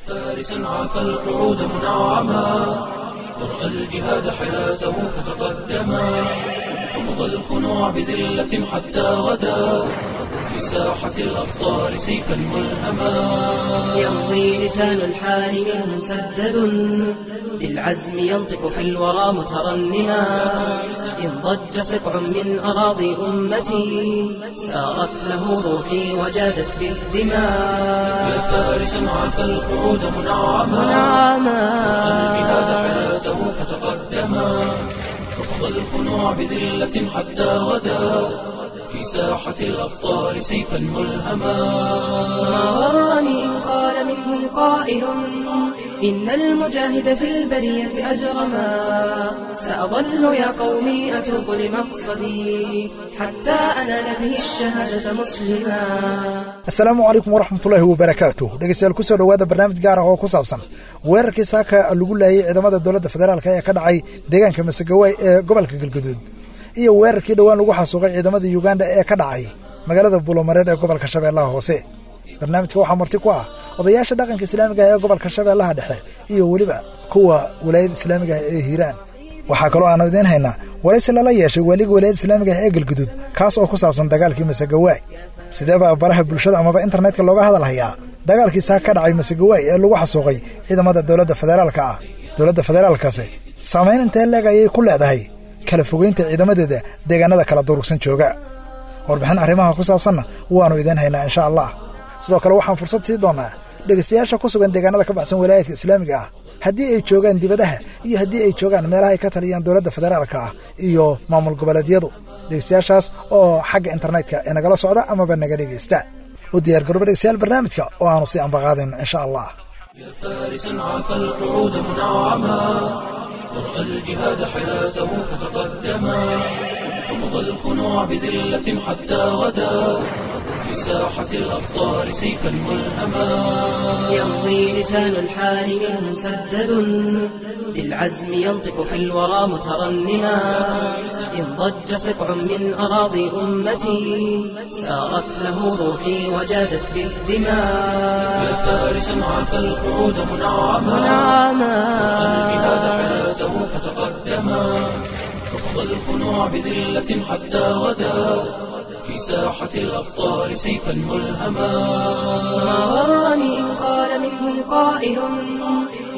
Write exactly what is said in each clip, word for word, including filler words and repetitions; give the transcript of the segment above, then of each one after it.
فارسا عفى القعود منعما ورأى الجهاد حياته فتقدما رفض الخنوع بذلة حتى غدا في ساحة الأبطال سيفا ملهما. يمضي لسان الحال منه مسدد بالعزم ينطق في الورى مترنما إن ضج سقع من أراضي أمتي سارت له روحي وجادت بالدماء. يا فارسا عفى القعود منعما رأى الجهاد حياته فتقدما رفض الخنوع بذلة حتى غدا في ساحة الأبطال سيفا ملهما. ما غرني إن قال منهم قائل إن المجاهد في البرية أجرما سأظل يا قومي أتوق لمقصدي حتى أنال به الشهادة مسلما. Asalaamu calaykum waraxmatullaahi wabarakaatuh. Dhegeystayaal, kusoo dhowaada barnaamij gaar ah oo ku saabsan weerarkii saaka lagu laayay ciidamada dowladda federaalka ee ka dhacay deegaanka Masagawaay ee gobolka Galguduud iyo weerarkii dhowaan lagu xasuuqay ciidamada Yuganda ee ka dhacay magaalada Buulomareer ee gobolka Shabeellaha Hoose. Barnaamijka waxaa marti ku ah odayaasha dhaqanka islaamiga ah ee gobolka Shabeellaha Dhexe iyo weliba kuwa walaayada islaamiga ah ee Hiiraan. Waxaa kaloo aanu idiin haynaa waraysi lala yeeshay waaliga walaayada islaamiga ah ee Galguduud, kaas oo ku saabsan dagaalkii Masagawaay. Sidee baa baraha bulshada amaba internetka looga hadal hayaa dagaalkii saaka ka dhacay Masagawaay ee lagu xasuuqay ciidamada dowladda federaalka ah? Dowladda federaalkaasi saamayn intee leeg ayay ku leedahay kala fogeynta ciidamadeeda deegaanada kala durugsan jooga? Warbixin arrimaha ku saabsanna waannu idiin haynaa insha allah. Sidoo kale waxaan fursad sii doonnaa dhegaystayaasha ku sugan deegaanada ka baxsan walaayaadka islaamiga ah, haddii ay joogaan dibadaha iyo haddii ay joogaan meelaha ay ka taliyaan dowladda federaalka ah iyo maamul goboleedyadu, dhegaystayaashaas oo xagga internetka ee nagala socda amaba naga dhegaysta. U diyaar garooba dhegaystayaal barnaamijka oo aanu sii ambaqaadayno insha allah. يا فارسا عفى القعود منعما ورأى الجهاد حياته فتقدما رفض الخنوع بذلة حتى غدا في ساحة الأبطال سيفا ملهما. يمضي لسان الحال منه مسدد بالعزم ينطق في الورى مترنما إن ضج سقع من أراضي أمتي سارت له روحي وجادت بالدماء. يا فارسا عفى القعود منعما منعما الجهاد حياته فتقدما رفض الخنوع بذلة حتى غدا في ساحة الأبطال سيفا ملهما. ما غرني إن قال منهم قائل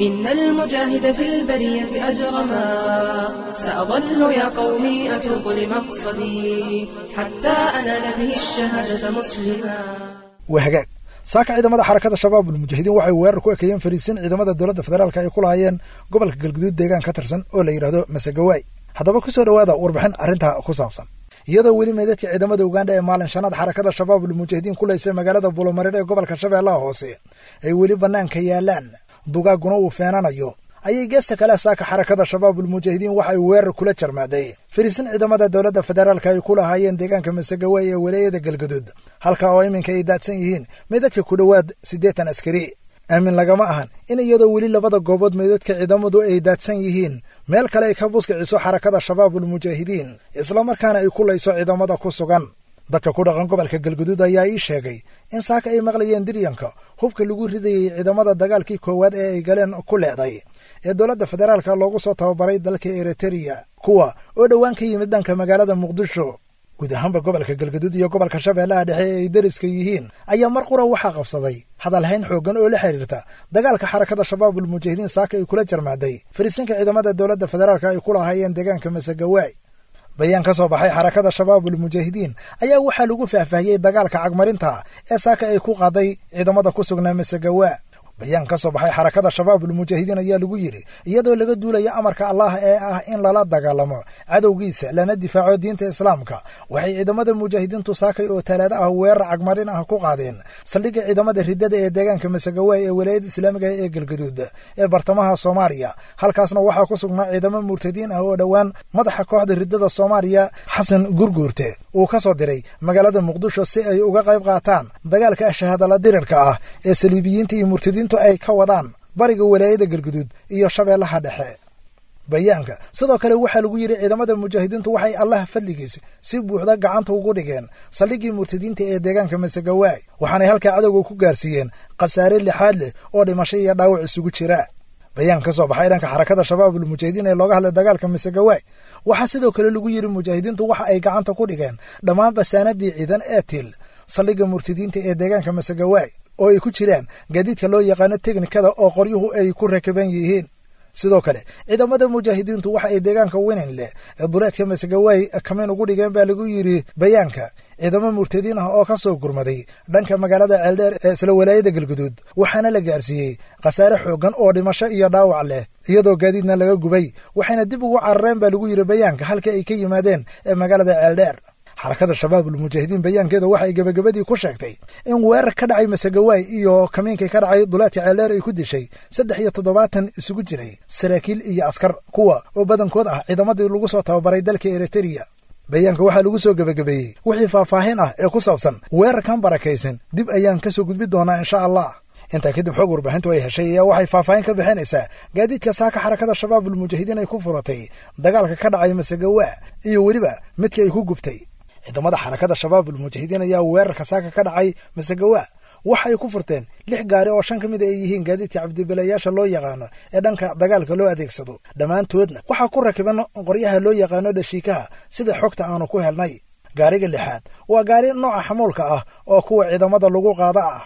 إن المجاهد في البرية أجرما سأظل يا قومي أتوق لمقصدي حتى أنال به الشهادة مسلما. Waa hagaag. Saaka ciidamada xarakada Shabaabul Mujaahidiin waxay weerar ku ekeeyeen fariisin ciidamada dowladda federaalka ay ku lahaayeen gobolka Galguduud deegaan ka tirsan oo la yidhaahdo Masagawaay. Haddaba kusoo dhowaada warbixin arrintaa ku saabsan. Iyadoo weli meydadka ciidamada Uganda ee maalin shanaad xarakada Shabaabul Mujaahidiin ku laysay magaalada Buulomareer ee gobolka Shabeellaha Hoose ay weli bannaanka yaalaan, dugaaguna uu feenanayo, ayay geesta kale saaka xarakada Shabaabul Mujaahidiin waxay weerar kula jarmaaday fariisin ciidamada dowladda federaalka ay ku lahaayeen deegaanka Masagawaay ee walaayada Galguduud, halka oo iminka ay daadsan yihiin meydadka ku dhowaad siddeetan askari. Aamin lagama ahan in iyadoo weli labada goobood meydadka ciidamadu ay daadsan yihiin meel kale ay ka buskiciso xarakada Shabaabul Mujaahidiin, islamarkaana ay ku layso ciidamada ku sugan. Dadka ku dhaqan gobolka Galguduud ayaa ii sheegay in saaka ay maqlayeen diryanka hubka lagu ridayey ciidamada dagaalkii koowaad ee ay galeen ku leeday ee dowladda federaalka loogu soo tababaray dalka Eritereya, kuwa oo dhowaan ka yimid dhanka magaalada Muqdisho. Guud ahaanba gobolka Galguduud iyo gobolka Shabeellaha Dhexe ee ay deriska yihiin ayaa mar qura waxaa qabsaday hadalhayn xooggan oo la xiriirta dagaalka xarakada Shabaabul Mujaahidiin saaka ay kula jarmaaday fariisinka ciidamada dowladda federaalka ay ku lahaayeen deegaanka Masagawaay. Bayaan ka soo baxay xarakada Shabaabul Mujaahidiin ayaa waxaa lagu faahfaahiyey dagaalka cagmarinta ee saaka ay ku qaaday ciidamada ku sugnaa Masagawaa. Bayaan ka soo baxay xarakada Shabaabul Mujaahidiin ayaa lagu yidhi, iyadoo laga duulaya amarka Allah ee ah in lala dagaalamo cadowgiisa lana difaaco diinta islaamka, waxay ciidamada mujaahidiintu saakay oo talaado ah weerar cagmarin ah ku qaadeen saldhigga ciidamada riddada ee deegaanka Masagawaay ee walaayada islaamiga ee Galguduud ee bartamaha Soomaaliya. Halkaasna waxaa ku sugnaa ciidamo murtadiin ah oo dhowaan madaxa kooxda riddada Soomaaliya Xasan Gurguurte uu ka soo diray magaalada Muqdisho si ay uga qayb qaataan dagaalka shahaadala dirirka ah ee saliibiyiinta iyo murtadiintu ay ka wadaan bariga walaayada Galguduud iyo Shabeellaha Dhexe. Bayaanka sidoo kale waxaa lagu yidhi ciidamada mujaahidiintu waxay Allah fadligiis si buuxda gacanta ugu dhigeen saldhiggii murtadiinta ee deegaanka Masagawaay, waxaanay halkaa cadowga ku gaarsiiyeen khasaare lixaad leh oo dhimasho iyo dhaawac isugu jira. Bayaan ka soo baxay dhanka xarakada Shabaabul Mujaahidiin ee looga hadlay dagaalka Masagawaay waxaa sidoo kale lagu yidhi mujaahidiintu waxa ay gacanta ku dhigeen dhammaan basaanadii ciidan ee til saldhigga murtadiinta ee deegaanka Masagawaay oo ay ku jiraan gaadiidka loo yaqaano teknikada oo qoryuhu ay ku rakiban yihiin. Sidoo kale ciidamada mujaahidiintu waxa ay deegaanka Winin leh ee duleedka Masagawaay kamin ugu dhigeen baa lagu yidhi bayaanka ciidamo murtadiin ah oo ka soo gurmaday dhanka magaalada Ceeldheer ee isla walaayada Galguduud, waxaana la gaarsiiyey khasaare xooggan oo dhimasho iyo dhaawac leh iyadoo gaadiidna laga gubay, waxayna dib ugu carareen baa lagu yidhi bayaanka halka ay ka yimaadeen ee magaalada Ceeldheer. Xarakada Shabaabul Mujaahidiin bayaankeeda waxay gebagabadii ku sheegtay in weerar ka dhacay Masagawaay iyo kamiinkii ka dhacay duleedka Ceeldheer ay ku dishay saddex iyo toddobaatan isugu jiray saraakiil iyo askar, kuwa oo badankood ah ciidamadii lagu soo tababaray dalka Eritrea. Bayaanka waxaa lagu soo gebagabeeyey wixii faahfaahin ah ee ku saabsan weerarkan barakaysan dib ayaan ka soo gudbi doonaa insha Allah. Intaa kadib xog warbaahintu ay heshay ayaa waxay faahfaahin ka bixinaysaa gaadiidka saaka xarakada Shabaabul Mujaahidiin ay ku furatay dagaalka ka dhacay Masagawaa iyo weliba midka ay ku gubtay. Ciidamada xarakada Shabaabul Mujaahidiin ayaa weerarka saaka ka dhacay Masagawaa waxay ku furteen lix gaari oo shan ka mid ay yihiin gaadiidka cabdibilayaasha loo yaqaano ee dhanka dagaalka loo adeegsado, dhammaantoodna waxaa ku rakiban qoryaha loo yaqaano dhashiikaha sida xogta aanu ku helnay. Gaariga lixaad waa gaari nooca xamuulka ah oo kuwa ciidamada lagu qaada ah.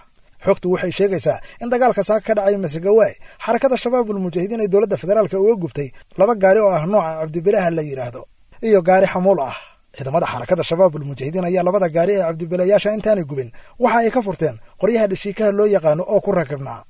Xogtu waxay sheegaysaa in dagaalka saaka ka dhacay Masagawaay xarakada Shabaabul Mujaahidiin ay dowladda federaalka uga gubtay laba gaari oo ah nooca cabdibilaha la yidhaahdo iyo gaari xamuul ah. Ciidamada xarakada Shabaabul Mujaahidiin ayaa labada gaari ee cabdibilayaasha intaanay gubin waxa ay ka furteen qoryaha dhashiikaha loo yaqaano oo ku rakibnaa.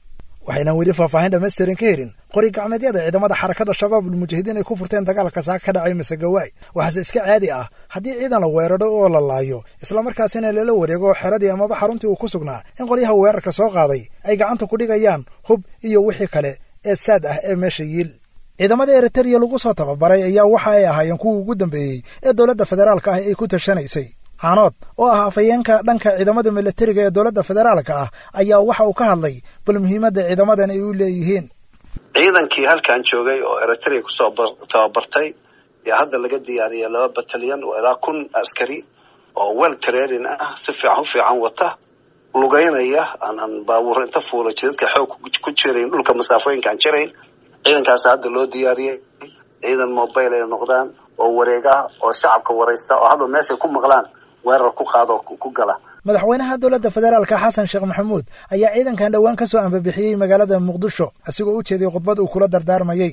Waxaynan weli faahfaahin dhammaystiran ka helin qori gacmeedyada ciidamada xarakada Shabaabul Mujaahidiin ay ku furteen dagaalka saaka ka dhacay Masagawaay. Waxaase iska caadi ah haddii ciidan la weeraro oo la laayo islamarkaasina lala wareego xeradii amaba xaruntii uu ku sugnaa in qoryaha weerarka soo qaaday ay gacanta ku dhigayaan hub iyo wixii kale ee saad ah ee meesha yiil. Ciidamada Eritrea lagu soo tababaray ayaa waxa ay ahaayeen kuwii ugu dambeeyey ee dowladda federaalka ah ay ku tashanaysay. Caanood oo ah afhayeenka dhanka ciidamada militariga ee dowladda federaalka ah ayaa waxa uu ka hadlay bal muhiimadda ciidamadan ay u leeyihiin. Ciidankii halkan joogay oo Eritrea kusoo tababartay ayaa hadda laga diyaariyay laba batalyan oo ilaa kun askari oo well training ah, si fiican u fiican wata, lugeynaya, aan aan baabuur inta fuula jidadka xoog ku jirayn, dhulka masaafooyinka aan jirayn. Ciidankaas hadda loo diyaariyey ciidan mobile ay noqdaan oo wareeg ah oo shacabka waraysta oo hadda meeshay ku maqlaan weerar ku qaado ku gala. Madaxweynaha dowladda federaalka Xasan Sheekh Maxamuud ayaa ciidankan dhowaan ka soo ambabixiyey magaalada Muqdisho asigoo u jeeday khudbad uu kula dardaarmayey.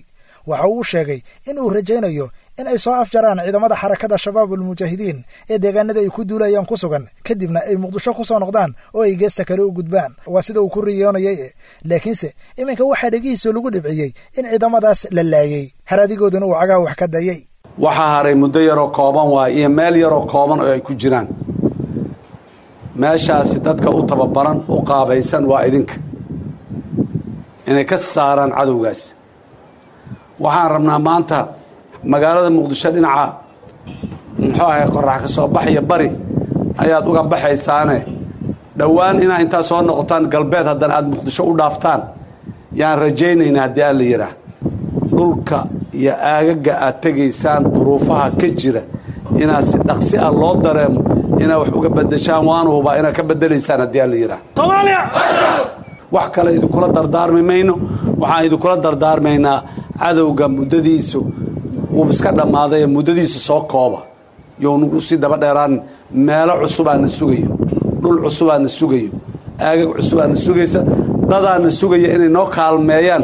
Waxa uu sheegay in uu rajaynayo in ay soo afjaraan ciidamada xarakada Shabaabul Mujaahidiin ee deegaanada ay ku duulayaan ku sugan, kadibna ay Muqdisho ku soo noqdaan oo ay geesta kale u gudbaan. Waa sida uu ku riyoonayay, laakiinse iminka waxaa dhegihiisa lagu dhibciyey in ciidamadaas la laayey, haraadigooduna uu cagaha wax ka dayay. Waxaa haray muddo yaroo kooban waay iyo meel yaroo kooban oo ay ku jiraan. Meeshaasi dadka u tababaran u qaabaysan waa idinka inay ka saaraan cadowgaas. Waxaan rabnaa maanta magaalada Muqdisho dhinaca muxuu ahay qorax ka soo baxaya bari ayaad uga baxaysaane dhowaan inaa intaa soo noqotaan galbeed haddana aada Muqdisho u dhaaftaan yaan rajaynaynaa haddii aan la yidhaah. Dhulka iyo aagaga aad tegaysaan duruufaha ka jira inaad si dhaqsi ah loo dareemo inaad wax uga beddeshaan, waanu hubaa inaad ka beddelaysaan haddii aan la yidhaah. Wax kale idinkula dardaarmi mayno, waxaan idinkula dardaarmaynaa cadowga muddadiisu wuu iska dhammaaday, muddadiisu soo kooba younugu sii daba dheeraan. Meelo cusubaana sugayo, dhul cusubaana sugayo, aagag cusubaana sugaysa, dadaana sugaya inay noo kaalmeeyaan.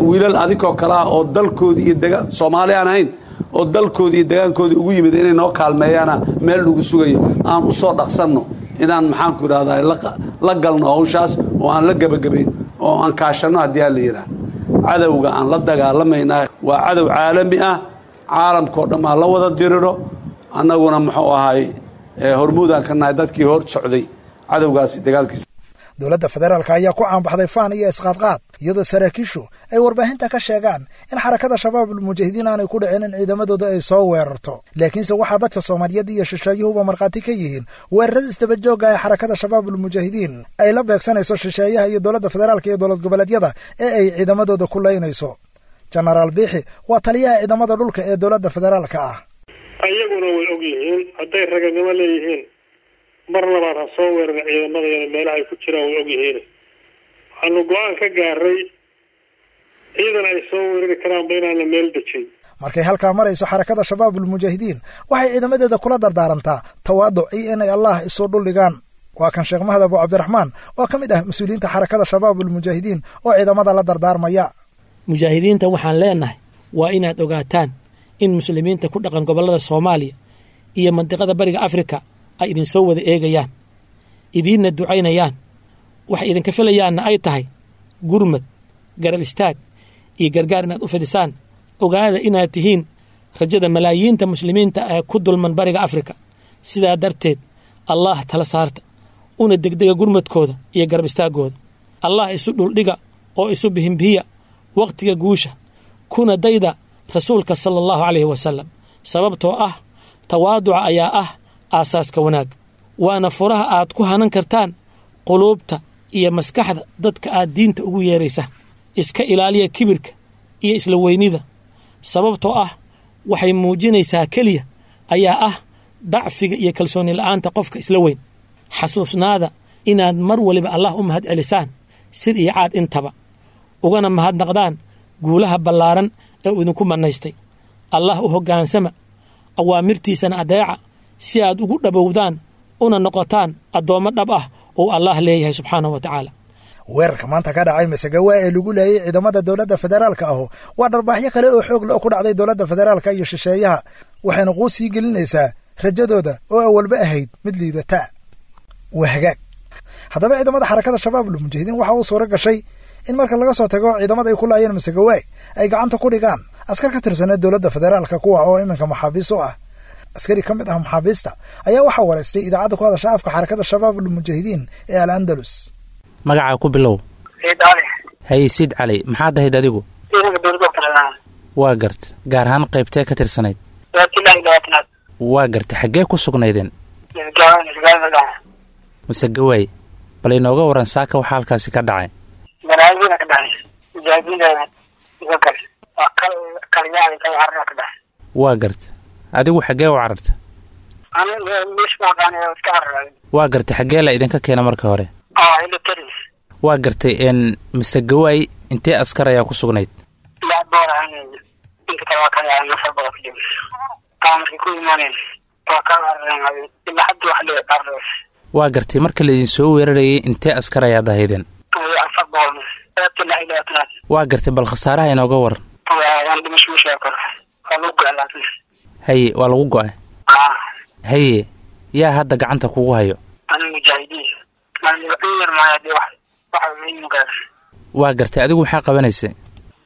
Wiilal adinkoo kale ah oo dalkoodii iyo dega Soomaali aan ahayn oo dalkoodii iyo degaankoodii ugu yimid inay noo kaalmeeyaana meel lagu sugayo. Aan u soo dhaqsanno inaan maxaanku idhahdaa la galno hawshaas oo aan la gebagabayn oo aan kaashanno haddii aan la yidhaah. Cadowga aan la dagaalamaynaa waa cadow caalami ah, caalamkao dhan aan la wada diriro, annaguna muxuu ahay hormuudaan ka nahay dadkii hor socday cadowgaasi dagaalkiisa. Dowladda federaalka ayaa ku caanbaxday faan iyo isqaadqaad, iyadoo saraakiishu ay warbaahinta ka sheegaan in xarakada Shabaabul Mujaahidiin aanay ku dhicin in ciidamadooda ay soo weerarto. Laakiinse waxaa dadka Soomaaliyeed iyo shisheeyuhuba markhaati ka yihiin weerarada isdabajoogga ee xarakada Shabaabul Mujaahidiin ay la beegsanayso shisheeyaha iyo dowladda federaalka iyo dowlad goboleedyada ee ay ciidamadooda ku laynayso. Jenaraal Biixi waa taliyaha ciidamada dhulka ee dowladda federaalka ah. Ayaguna way og yihiin hadday raganimo leeyihiin mar labaad ha soo weerara ciidamadayana meelaha ay ku jiraan way og yihiin. Waxaanu go-aan ka gaaray ciidan ay soo weerari karaanba inaan la meel dejin. Markay halkaa marayso xarakada Shabaabul Mujaahidiin waxay ciidamadeeda kula dardaarantaa tawaaduc iyo inay Allah isu dhuldhigaan. Waa kan Sheekh Mahad Abu Cabdiraxmaan oo ka mid ah mas-uuliyiinta xarakada Shabaabul Mujaahidiin oo ciidamada la dardaarmaya. Mujaahidiinta waxaan leenahay waa inaad ogaataan in muslimiinta ku dhaqan gobollada Soomaaliya iyo mandiqada Bariga Afrika ay idinsoo wada eegayaan, idiinna ducaynayaan, waxay idinka filayaanna ay tahay gurmad, garab istaag iyo gargaar inaad u fidisaan. Ogaada inaad tihiin rajada malaayiinta muslimiinta ee ku dulman Bariga Afrika. Sidaa darteed Allah tala saarta, una degdega gurmadkooda iyo garab istaaggooda. Allah isu dhuldhiga oo isu bihimbihiya wakhtiga guusha, kuna dayda rasuulka sala allahu calayhi wasalam, sababtoo ah tawaaduca ayaa ah aasaaska wanaag, waana furaha aad ku hanan kartaan quluubta iyo maskaxda dadka aad diinta ugu yeeraysa. Iska ilaaliya kibirka iyo isla weynida, sababtoo ah waxay muujinaysaa keliya ayaa ah dacfiga iyo kalsooni la'aanta qofka isla weyn. Xasuusnaada inaad mar waliba Allah u mahad celisaan sir iyo caad intaba, ugana mahadnaqdaan guulaha ballaaran ee uu idinku mannaystay. Allah u hoggaansama, awaamirtiisana adeeca, si aad ugu dhabowdaan una noqotaan addoommo dhab ah oo Allah leeyahay subxaanahu wa tacaala. Weerarka maanta ka dhacay Masagawa ee lagu laayay ciidamada dowladda federaalka ahu waa dharbaaxyo kale oo xoog leh oo ku dhacday dowladda federaalka iyo shisheeyaha, waxayna quus sii gelinaysaa rajadooda oo awalba ahayd mid liidata. Waa hagaag. Haddaba ciidamada xarakada Shabaabul Mujaahidiin waxa uu suura gashay in marka laga soo tago ciidamada ay ku laayeen Masagawaay ay gacanta ku dhigaan askar ka tirsaneed dowladda federaalka, kuwa oo iminka maxaabiis u ah. Askari ka mid ah maxaabiista ayaa waxaa waraystay idaacadda ku hadasha afka xarakada Shabaabul Mujaahidiin ee Al Andalus. Magacaa ku bilow. Siid Cali. Haye Siid Cali, maxaad ahayd adigu? Ciidanka dowladda federaalka. Waa garta. Gaar ahaan qaybtee ka tirsanayd? Labaatan. Waa garta. Xaggee ku sugnaydeen? Masagawaay. Bal inooga waran saaka waxaa halkaasi ka dhacay. Manaajina ka dhacay. Mujaahidiinta kale. Waa kal kalyaali kal carra ka dhacay. Waa garta. Adigu xaggee u cararta? Aniga meesh ma aqaan ee iska cararay. Waa garta. Xaggee la idinka keena marka hore? Ah, military. Waa gartay. Een Masagawaay intee askar ayaa ku sugnayd? Lix boqol ahaan. Inta kale waa kala nafar boqol ku jiro. Taa markii ku imaaneen waa kala carareen ilaa hadda wax loo cararay. Waa gartay. Marka la idin soo weerarayay intee askar ayaad ahaydeen? Afar boqol. Waa gartay. Bal khasaaraha inooga waran. Waa dhimasho ma sheego karo. Waa lagu go'ay laakiin. Haye, waa lagu go'ay. Ah. Haye, yaa hadda gacanta kugu hayo? Ani mujaahidiin. Maan yar maaya dee wax waxa muhiim gaar. Waa gartay. Adigu maxaa qabanaysay?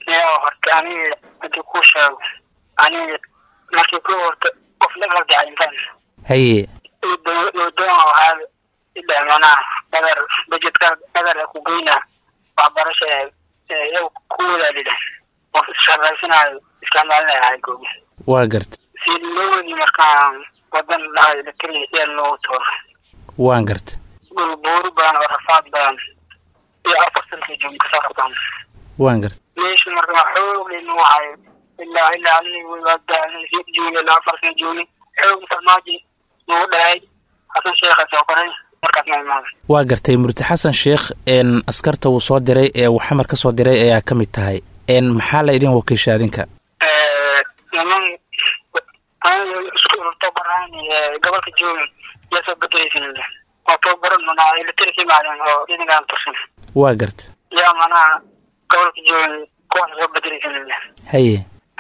Yaa horta aniga haddii kuu sheego aniga markii ku horta qof la gargacay intaan. Haye. Doon waxaa ilaa manaa dhagar budgetka dhagar ku geynaa waxbarasha ee ku wadaadida qof isshaqaysanaayo isticmaalinaya ahay goobi. Waa gartay. Si loo wadi markaan wadan lahay la keliya yaa loogu tooro. Waan gartay. Dhul buuri badan oo rafaad badan iyo afar sanka joogin kasoo rabtaan. Waan gartay. Meesha markaa xoog leh nuu hayo ilaa ilaa aniga waa daalay joogin ilaa afar sana joogin xoog farmaajo nagu dhahay Xasan Sheekh soo qoray markaas ma imaado. Waa gartay. Murti Xasan Sheekh een askarta uu soo diray ee uu xamar ka soo diray ayaa ka mid tahay. Een maxaa la idin wakiisha adinka? Ee niman aniga isku tababaraan gobolka joogin yaa soo bedelaysan waa tababaran manaa military maalin oo ciidankaan tirsan. Waa gartay. Yaa manaa gobolka joogin kuwaas soo bedelaysan. Haye.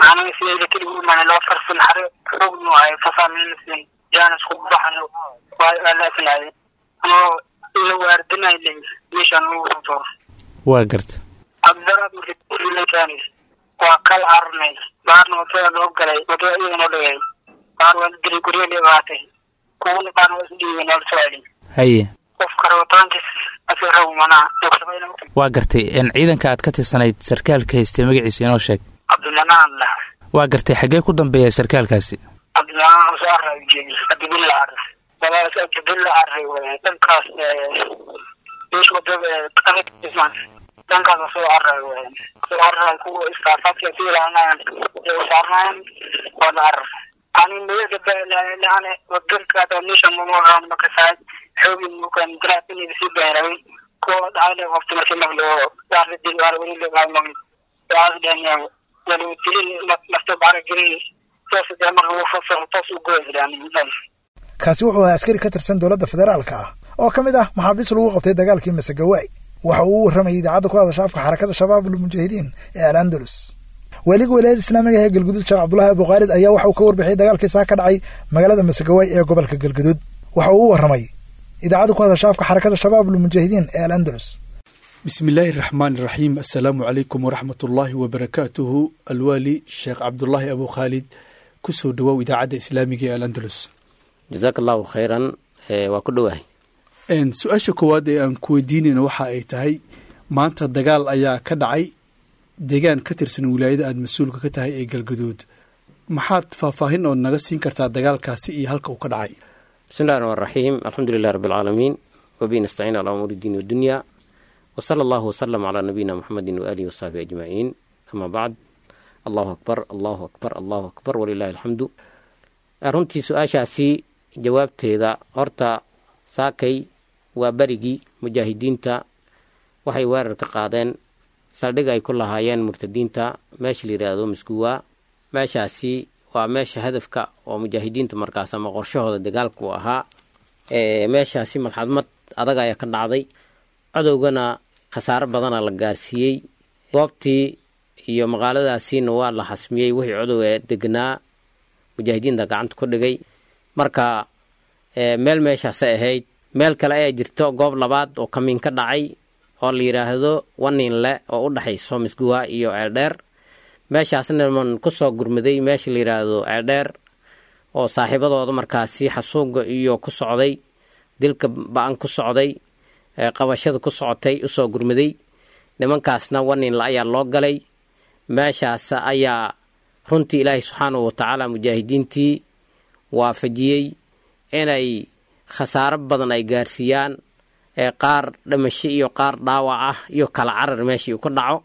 Aniga si military u imaanay laba farsan xare xoog nuu hayo fasaalin jaanis ku baxan waa la anoo la waardinay meeshaan lagu soo. Waa gartay. Abdaraad markii waa kal carnay baarna wadada loo galay wadada iyaga noo dhigay baar waa la dilay guryo dhibaatay kuwana qaarna waa isdhiibay noo soo celin. Haye. Qofka rabitaankiis asii rabo manaa Waa gartay. Een ciidanka aad ka tirsanayd sarkaalka haystay magaciisa inoo sheeg. Cabdimanaan lah. Waa gartay. Xaggee ku dambeeya sarkaalkaasi? Cabdimanaan soo array jeedi Cabdibilla array walaal Cabdibilla array dhankaas meesha wadada adag ismaan. Dhankaas soo cararay waayeen, soo cararay kuwa istaafaadka ku ilaalinayaan ee u saarnaayeen waa la carar. Ani meelka laane wadanka meesha mumuqaan makasaay xoogi mukan dirac inay sii beeray kuwa dhacay waqti markii maqlo waa la dil waa weli la maqlo waa dhanyaa wali dilin nafta baara gelin toos dee marka uu fasaxo toos u go'ay. Kaasi wuxuu ahaa askari ka tirsan dowladda federaalka ah oo ka mid ah maxaabiis lagu qabtay dagaalkii Masagawaay. Waxa uu u warramayay idaacadda ku hadasha afka Xarakada Shabaab Almujaahidiin ee Al Andalus. Waaliga Walaayada Islaamiga ee Galguduud, Sheekh Cabdulahi Abukhaalid, ayaa waxa uu ka warbixiyay dagaalkii saa ka dhacay magaalada Masagawaay ee gobolka Galguduud. Waxa uu u warramay idaacadda ku hadasha afka Xarakada Shabaab Almujaahidiin ee Al Andalus. Bismi illaahi raxmaan iraxiim. Assalaamu calaykum waraxmat ullaahi wabarakaatuhu. Alwaali Sheekh Cabdulaahi Abu Khaalid, kusoo dhawow idaacadda islaamiga ee Al Andalus. Jazaak allahu khayran, waa ku dhowahay. Su-aasha koowaad ee aan ku weydiinayno waxa ay tahay, maanta dagaal ayaa ka dhacay deegaan ka tirsan wilaayada aada mas-uulka ka tahay ee Galgaduud. Maxaad faahfaahin ood naga siin kartaa dagaalkaasi iyo halka uu ka dhacay? Bismillahi raxmaan raxiim. Alxamdu lilah rabbi alcaalamiin, wabihi nastaciin calaa umuuri diin wadunya, wasala allahu wasalam calaa nabiyina muxamedin waaalihi wasaxbihi ajmaciin, ama bacd. Allahu akbar, allahu akbar, allahu akbar, walilahi alxamdu. Runtii su-aashaasi jawaabteeda, horta saakay waa berigii mujaahidiinta waxay weerar ka qaadeen saldhig ay ku lahaayeen murtadiinta meesha la yidhaahdo Miskuwa. Meeshaasi waa meesha hadafka oo mujaahidiinta markaas ama qorshahooda dagaalku ahaa. Meeshaasi malxadmad adag ayaa ka dhacday, cadowgana khasaaro badana la gaarsiiyey. Goobtii iyo maqaaladaasiina waa la xasmiyey, wixii cadow ee degnaa mujaahidiinta gacanta ku dhigay. Marka meel meeshaasay ahayd, meel kale ayaa jirto, goob labaad oo kamiin ka dhacay oo la yidhaahdo Waninle oo u dhexayso Misguwa iyo Ceeldheer. Meeshaasna man kusoo gurmaday meesha la yidhaahdo Ceeldheer oo saaxiibadooda markaasi xasuuga iyo ku socday, dilka ba-an ku socday, qabashada ku socotay usoo gurmaday. Nimankaasna Waninle ayaa loo galay. Meeshaas ayaa runtii Ilaahay subxaanahu watacaala mujaahidiintii waafajiyey inay khasaaro badan ay gaarsiiyaan, qaar dhimasho iyo qaar dhaawac ah iyo kala carar meeshii uu ka dhaco,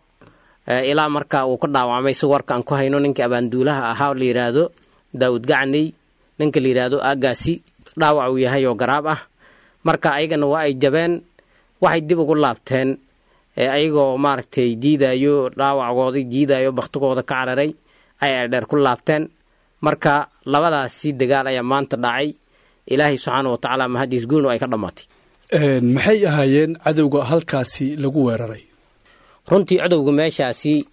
ilaa marka uu ka dhaawacmay si warka aan ku hayno ninka abaanduulaha ahaa oo la yidhaahdo Daawud Gacney, ninka la yidhaahdo aagaasi dhaawac uu yahay oo garaab ah. Marka ayagana waa ay jabeen, waxay dib ugu laabteen ayagoo maaragtay diidayo dhaawacgoodii, diidayo baktigooda ka cararay ay Ceeldheer ku laabteen. Marka labadaasi dagaal ayaa maanta dhacay. Ilaahay subxaana wa tacaala mahadiis, guulna ay ka dhammaatay. Maxay ahaayeen cadowga halkaasi lagu weeraray? Runtii cadowga meeshaasi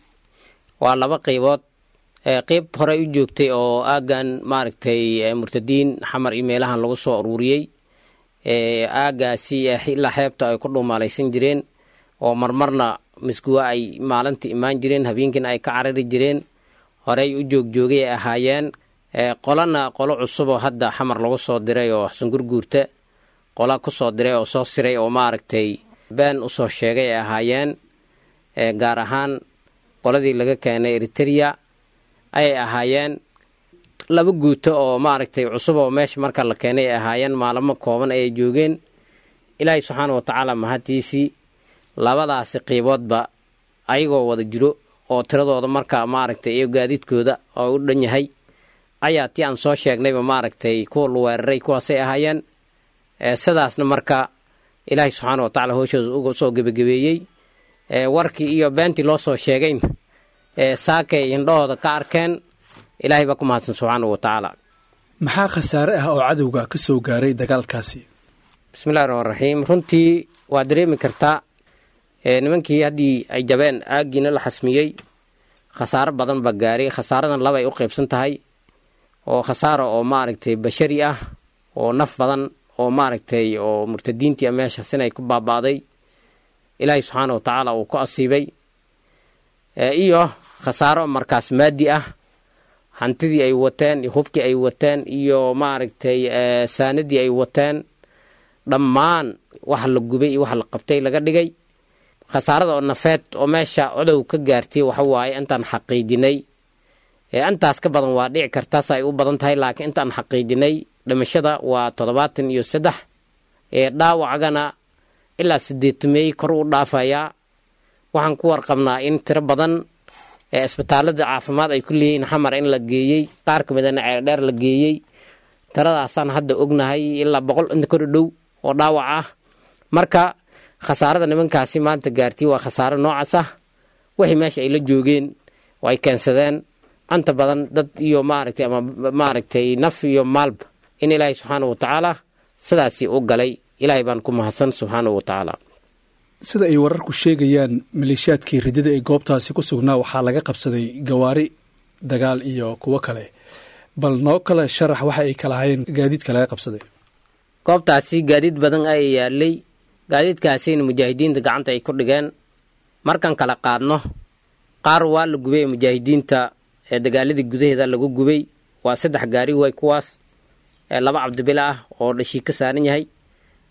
waa laba qaybood. Qeyb horey u joogtay oo aaggan maaragtay murtadiin Xamar iyo meelahan lagu soo aruuriyey, aaggaasi ilaa xeebta ay ku dhuumaalaysan jireen oo marmarna Misguwa ay maalinta imaan jireen, habeenkiina ay ka carari jireen, horey u joogjoogay ay ahaayeen. Qolana qolo cusub oo hadda Xamar lagu soo diray oo Xasangurguurta qola ku soo diray oo soo siray oo maaragtay been usoo sheegay ay ahaayeen, gaar ahaan qoladii laga keenay Eriteria ayay ahaayeen. Laba guuto oo maaragtay cusub oo meesha marka la keenay ay ahaayeen, maalamo kooban ayay joogeen. Ilaahay subxaana wa tacaala mahadtiisii, labadaasi qiiboodba ayagoo wada jiro oo tiradooda marka maaragtay iyo gaadiidkooda oo u dhan yahay ayaa tii aan soo sheegnayba maaragtay kuwa la weeraray kuwaasay ahaayeen. Sidaasna marka Ilaahay subxaana wa tacala hooshooda uga soo gebagabeeyey. Warkii iyo beentii loo soo sheegayna saakay indhahooda ka arkeen. Ilaahay baa ku mahadsan subxaana wa tacaala. Maxaa khasaare ah oo cadowga ka soo gaaray dagaalkaasi? Bismillahi raxmaan raxiim. Runtii waa dareemi kartaa, nimankii haddii ay jabeen aaggiina la xasmiyey, khasaaro badan baa gaaray. Khasaaradan laba ay u qaybsan tahay, oo khasaaro oo maaragtay bashari ah oo naf badan oo maaragtay oo murtadiintii meeshaas inay ku baaba'day Ilaahay subxaana wa tacaala uu ku asiibay, iyo khasaaro markaas maadi ah, hantidii ay wateen iyo hubkii ay wateen iyo maaragtay saanadii ay wateen, dhammaan wax la gubay iyo wax la qabtay laga dhigay. Khasaarada oo nafeed oo meesha codow ka gaartay waxa waaye intaan xaqiijinay, intaas ka badan waa dhici kartaas ay u badan tahay, laakiin intaan xaqiijinay dhimashada waa toddobaatan iyo saddex, dhaawacgana ilaa sideetameey kor u dhaafayaa. Waxaan ku warqabnaa in tiro badan ee isbitaalada caafimaad ay ku leeyihiin Xamar in la geeyey, qaar ka midana Ceeldheer la geeyey. Tiradaasaan hadda ognahay ilaa boqol inta kor dhow oo dhaawac ah. Marka khasaarada nimankaasi maanta gaartay waa khasaaro noocaas ah. Wixii meesha ay la joogeen oo ay keensadeen anta badan dad iyo maaragtay ama maaragtay naf iyo maalba in Ilaahay subxaanahu watacaala sidaasi u galay. Ilaahay baan ku mahadsan subxaanahu watacaala. Sida ay wararku sheegayaan, maleeshiyaadkii ridada ee goobtaasi ku sugnaa waxaa laga qabsaday gawaari dagaal iyo kuwo kale. Bal noo kale sharax waxa ay kala hayeen gaadiidka laga qabsaday. Goobtaasi gaadiid badan ayaa yaalay, gaadiidkaasina mujaahidiinta gacanta ay ku dhigeen. Markaan kala qaadno, qaar waa la gubay mujaahidiinta ee dagaaladii gudaheeda lagu gubay, waa saddex gaari way kuwaas, ee laba cabdibila ah oo dhashiik ka saaran yahay,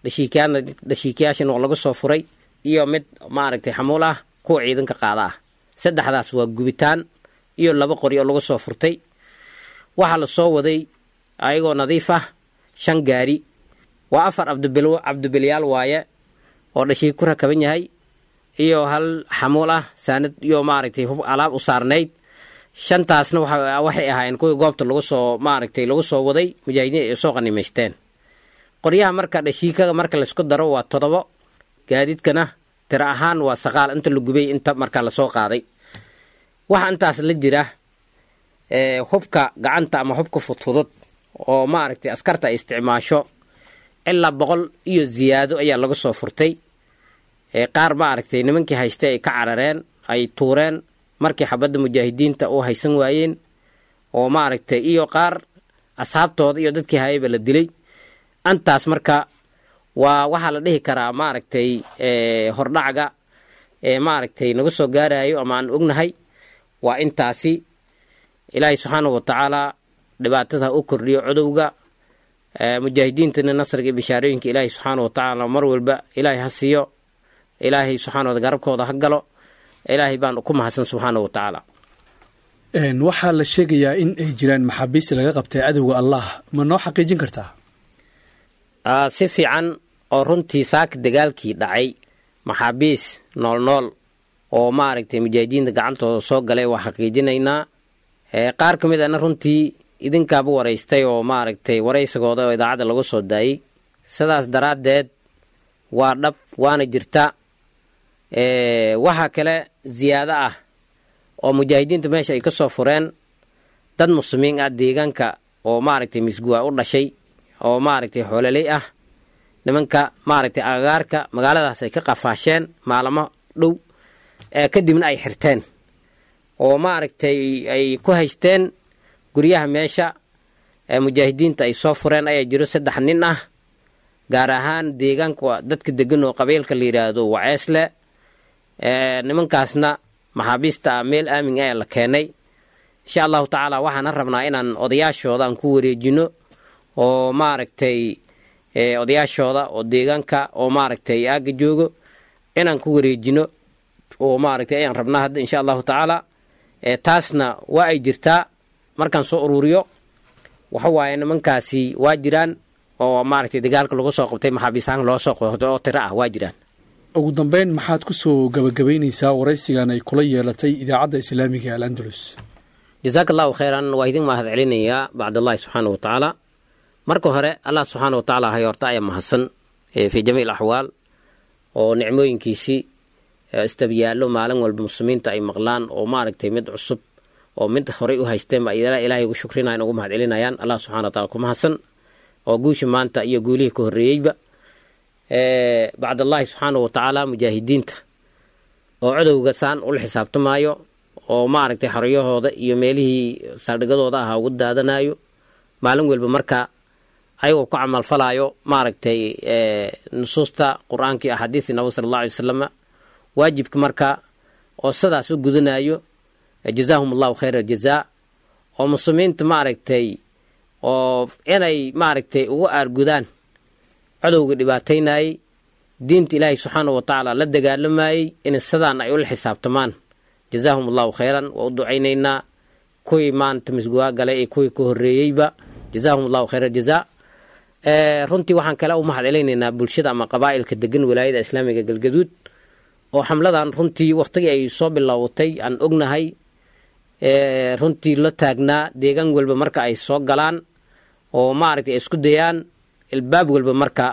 dhashiikyaana dhashiikayaashana waa lagu soo furay, iyo mid maaragtay xamuul ah kuwa ciidanka qaada ah. Saddexdaas waa gubitaan iyo laba qori oo lagu soo furtay. Waxaa la soo waday ayagoo nadiif ah shan gaari, waa afar cabdibil cabdibilyaal waaye oo dhashiik ku rakaban yahay, iyo hal xamuul ah saanad iyo maaragtay hub alaab u saarnayd. Shantaasna waxay ahaayeen kuwii goobta lagu soo maaragtay lagu soo waday mujaahidiin ay soo qanimaysteen. Qoryaha marka dhashiikaga marka laysku daro waa toddobo, gaadiidkana tiro ahaan waa saqaal inta la gubay inta marka lasoo qaaday. Waxa intaas la jira hubka gacanta ama hubka fudfudud oo maaragtay askarta ay isticmaasho ilaa boqol iyo ziyaado ayaa lagu soo furtay. Qaar maaragtay nimankii haystay ay ka carareen, ay tuureen markii xabadda mujaahidiinta u haysan waayeen, oo maaragtay iyo qaar asxaabtooda iyo dadkii hayayba la dilay. Antaas marka waa waxaa la dhihi karaa maaragtay hordhacga ee maaragtay nagu soo gaarayo ama aan ognahay waa intaasi. Ilaahay subxaanahu watacaala dhibaatada ha u kordhiyo cudowga, mujaahidiintana nasriga iyo bishaarooyinka Ilaahay subxaanahu watacaala mar walba Ilaahay ha siiyo. Ilaahay subxaanahu wa garabkooda ha galo. Ilaahay baan ku mahadsan subxaanahu watacaala. Waxaa la sheegayaa in ay jiraan maxaabiis laga qabtay cadowga Allah, ma noo xaqiijin kartaa? Si fiican oo runtii saaka dagaalkii dhacay maxaabiis nool nool oo maaragtay mujaahidiinta gacantooda soo galay waa xaqiijinaynaa. Qaar ka mid ana runtii idinkaaba waraystay oo maaragtay waraysigooda oo idaacadda lagu soo daayey. Sidaas daraaddeed waa dhab, waana jirta. Waxaa kale ziyaado ah oo mujaahidiinta meesha ay ka soo fureen dad muslimiin ah deegaanka oo maaragtay misguwa u dhashay oo maaragtay xoololey ah, nimanka maaragtay agagaarka magaaladaas ay ka qafaasheen maalamo dhow, kadibna ay xirteen oo maaragtay ay ku haysteen guryaha meesha mujaahidiinta ay soo fureen. Ayaa jiro saddex nin ah, gaar ahaan deegaanka dadka degan oo qabiilka la yidhaahdo Waceesle. Nimankaasna maxaabiista ah meel aamin ah la keenay. Insha allahu tacaala waxaana rabnaa inaan odayaashooda aan ku wareejino oo maaragtay odayaashooda oo deegaanka oo maaragtay aagga joogo inaan ku wareejino oo maaragtay ayaan rabnaa hadda insha allahu tacaala. Taasna waa ay jirtaa. Markaan soo uruuriyo waxa waaye nimankaasi waa jiraan oo maaragtay dagaalka lagu soo qabtay maxaabiis ahaan loo soo qabtay oo tiro ah waa jiraan. Ugu dambeyn, maxaad ku soo gabagabaynaysaa waraysigan ay kula yeelatay idaacadda islaamiga Al Andalus? Jazaaka allahu khayran, waa idin mahad celinayaa bacdallahi subxaana wa tacaala. Marka hore Allah subxaana wa tacaala hay horta ayaa mahadsan fii jamiic alaxwaal oo nicmooyinkiisii istabiyaallo maalin walba muslimiinta ay maqlaan oo maaragtay mid cusub oo mid horey u haysteen ba Ilaahay ugu shukrinayan, ugu mahad celinayaan. Allah subxana wa taala ku mahadsan oo guusha maanta iyo guulihii ka horreeyeyba. Bacdallahi subxaana wa tacaala mujaahidiinta oo codowga saan ula xisaabtamaayo oo maaragtay xoriyahooda iyo meelihii saldhigadooda ahaa ugu daadanayo maalin walba, marka ayagoo ku camalfalayo maaragtay nusuusta qur-aanka iyo axaadiistii nabiga sala allahu alay wasalam waajibka, marka oo sidaas u gudanayo, jazaahum allahu khayra aljazaa. Oo muslimiinta maaragtay oo inay maaragtay ugu aargudaan codowga dhibaataynayey, diinta Ilaahay subxaana wa tacaala la dagaalamayey, in sidaan ay ula xisaabtamaan. Jazaahum allahu khayran, waa u ducaynaynaa kuwii maanta misguwaa galay iyo kuwii ka horreeyeyba, jazaahum allahu khayra aljazaa. Runtii waxaan kale u mahad celinaynaa bulshada ama qabaa'ilka degan wilaayada islaamiga Galgaduud Oo xamladan runtii wakhtigii ay soo bilowatay aan ognahay, runtii la taagnaa deegaan walba marka ay soo galaan oo maaragtay ay isku dayaan ilbaab walba marka,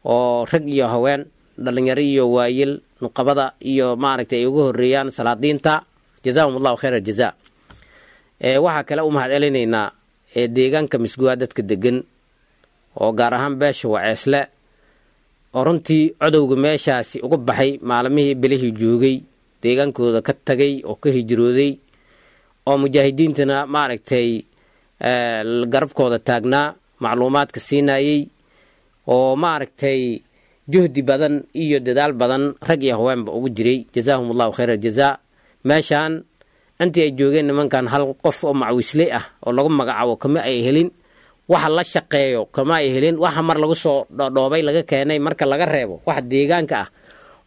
oo rag iyo haween, dhalinyaro iyo waayel, nuqabada iyo maaragtay ay ugu horeeyaan salaadiinta. Jazaahum Allahu khayr aljaza. Waxaa kale u mahad celinaynaa deegaanka Misguwaa dadka degan, oo gaar ahaan beesha Waceesle, oo runtii codowga meeshaasi uga baxay maalmihii bilihii joogay, deegaankooda ka tagay oo ka hijrooday, oo mujaahidiintana maaragtay garabkooda taagnaa, macluumaadka siinayey, oo maaragtay juhdi badan iyo dadaal badan rag iyo haweenba ugu jiray. Jazaahum Allahu khayr aljazaa. Meeshaan intii ay joogeen nimankan hal qof oo macwisley ah oo lagu magacaabo kama ay helin, waxa la shaqeeyo kama ay helin, waxa mar lagu soo dhoobay laga keenay marka laga reebo waxa deegaanka ah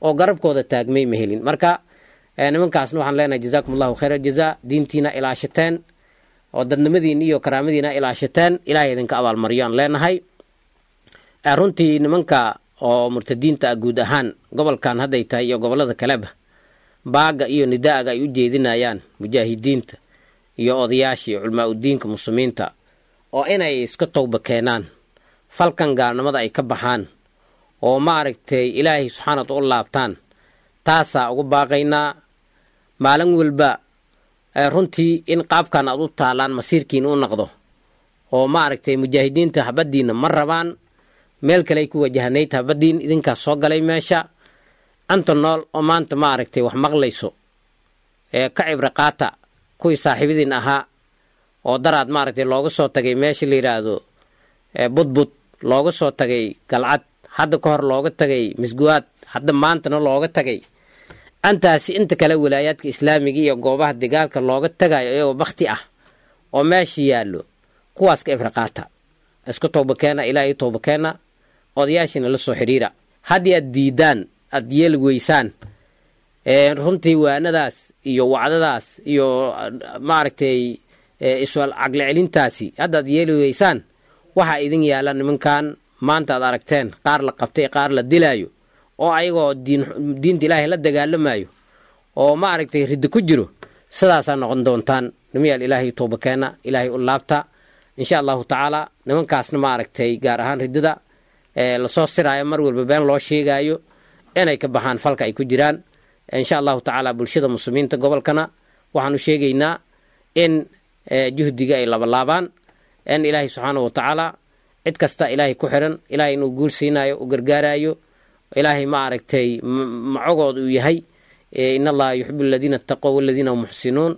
oo garabkooda taagmay ma helin. Marka nimankaasna waxaan leenahay jazaakum Allahu khayr aljazaa. Diintiina ilaashateen oo dadnimadiina iyo karaamadiina ilaashateen, Ilaahay idinka abaalmariyo aan leenahay. Runtii nimanka oo murtadiinta ah guud ahaan gobolkan hadday tahay iyo gobollada kaleba, baaga iyo nidaaga ay u jeedinayaan mujaahidiinta iyo odayaasha iyo culmaa udiinka muslimiinta, oo inay iska towba keenaan, falkan gaalnimada ay ka baxaan, oo maaragtay Ilaahay subxaana u laabtaan, taasaa ugu baaqaynaa. Maalin walba runtii in qaabkan aad u taalaan masiirkiina u noqdo, oo maaragtay mujaahidiinta habadiinna ma rabaan, meel kale ay ku wajahanayd habadiin, idinkaas soo galay meesha anta nool oo maanta maaragtay wax maqlayso ee ka cibro qaata kuwii saaxiibadiin ahaa oo daraad maaragtay looga soo tagay meesha la yidhaahdo Budbud, looga soo tagay Galcad, hadda ka hor looga tagay Misguwaad, hadda maantana looga tagay antaasi inta kale walaayaadka islaamiga iyo goobaha dagaalka looga tagayo iyagoo bakti ah oo meesha yaallo. Kuwaas ka cibro qaata, isku towba keena, Ilaahay towba keena, odayaashiina la soo xidhiira. Haddii aad diidaan, aad yeeli weysaan runtii waanadaas iyo wacdadaas iyo maaragtay iswal caqli celintaasi, haddaad yeeli weysaan, waxaa idin yaalla nimankan maanta aad aragteen, qaar la qabtay, qaar la dilaayo, oo ayagoo diin diinta Ilaahay la dagaalamayo oo maaragtay riddo ku jiro. Sidaasaa noqon doontaan. Nimayaal, Ilaahay towba keena, Ilaahay u laabta insha Allahu tacaala. Nimankaasna maaragtay gaar ahaan riddada lasoo siraayo, mar walba been loo sheegaayo, inay ka baxaan falka ay ku jiraan insha Allahu tacaala. Bulshada muslimiinta gobolkana waxaan u sheegaynaa in juhdiga ay labalaabaan, in Ilaahay subxaana wa tacaala cid kasta Ilaahay ku xiran Ilaahay inuu guul siinayo, u gargaarayo, Ilaahay maaragtay macogooda uu yahay. In Allaha yuxibu aladiina ataqow waladiina hum muxsinuun.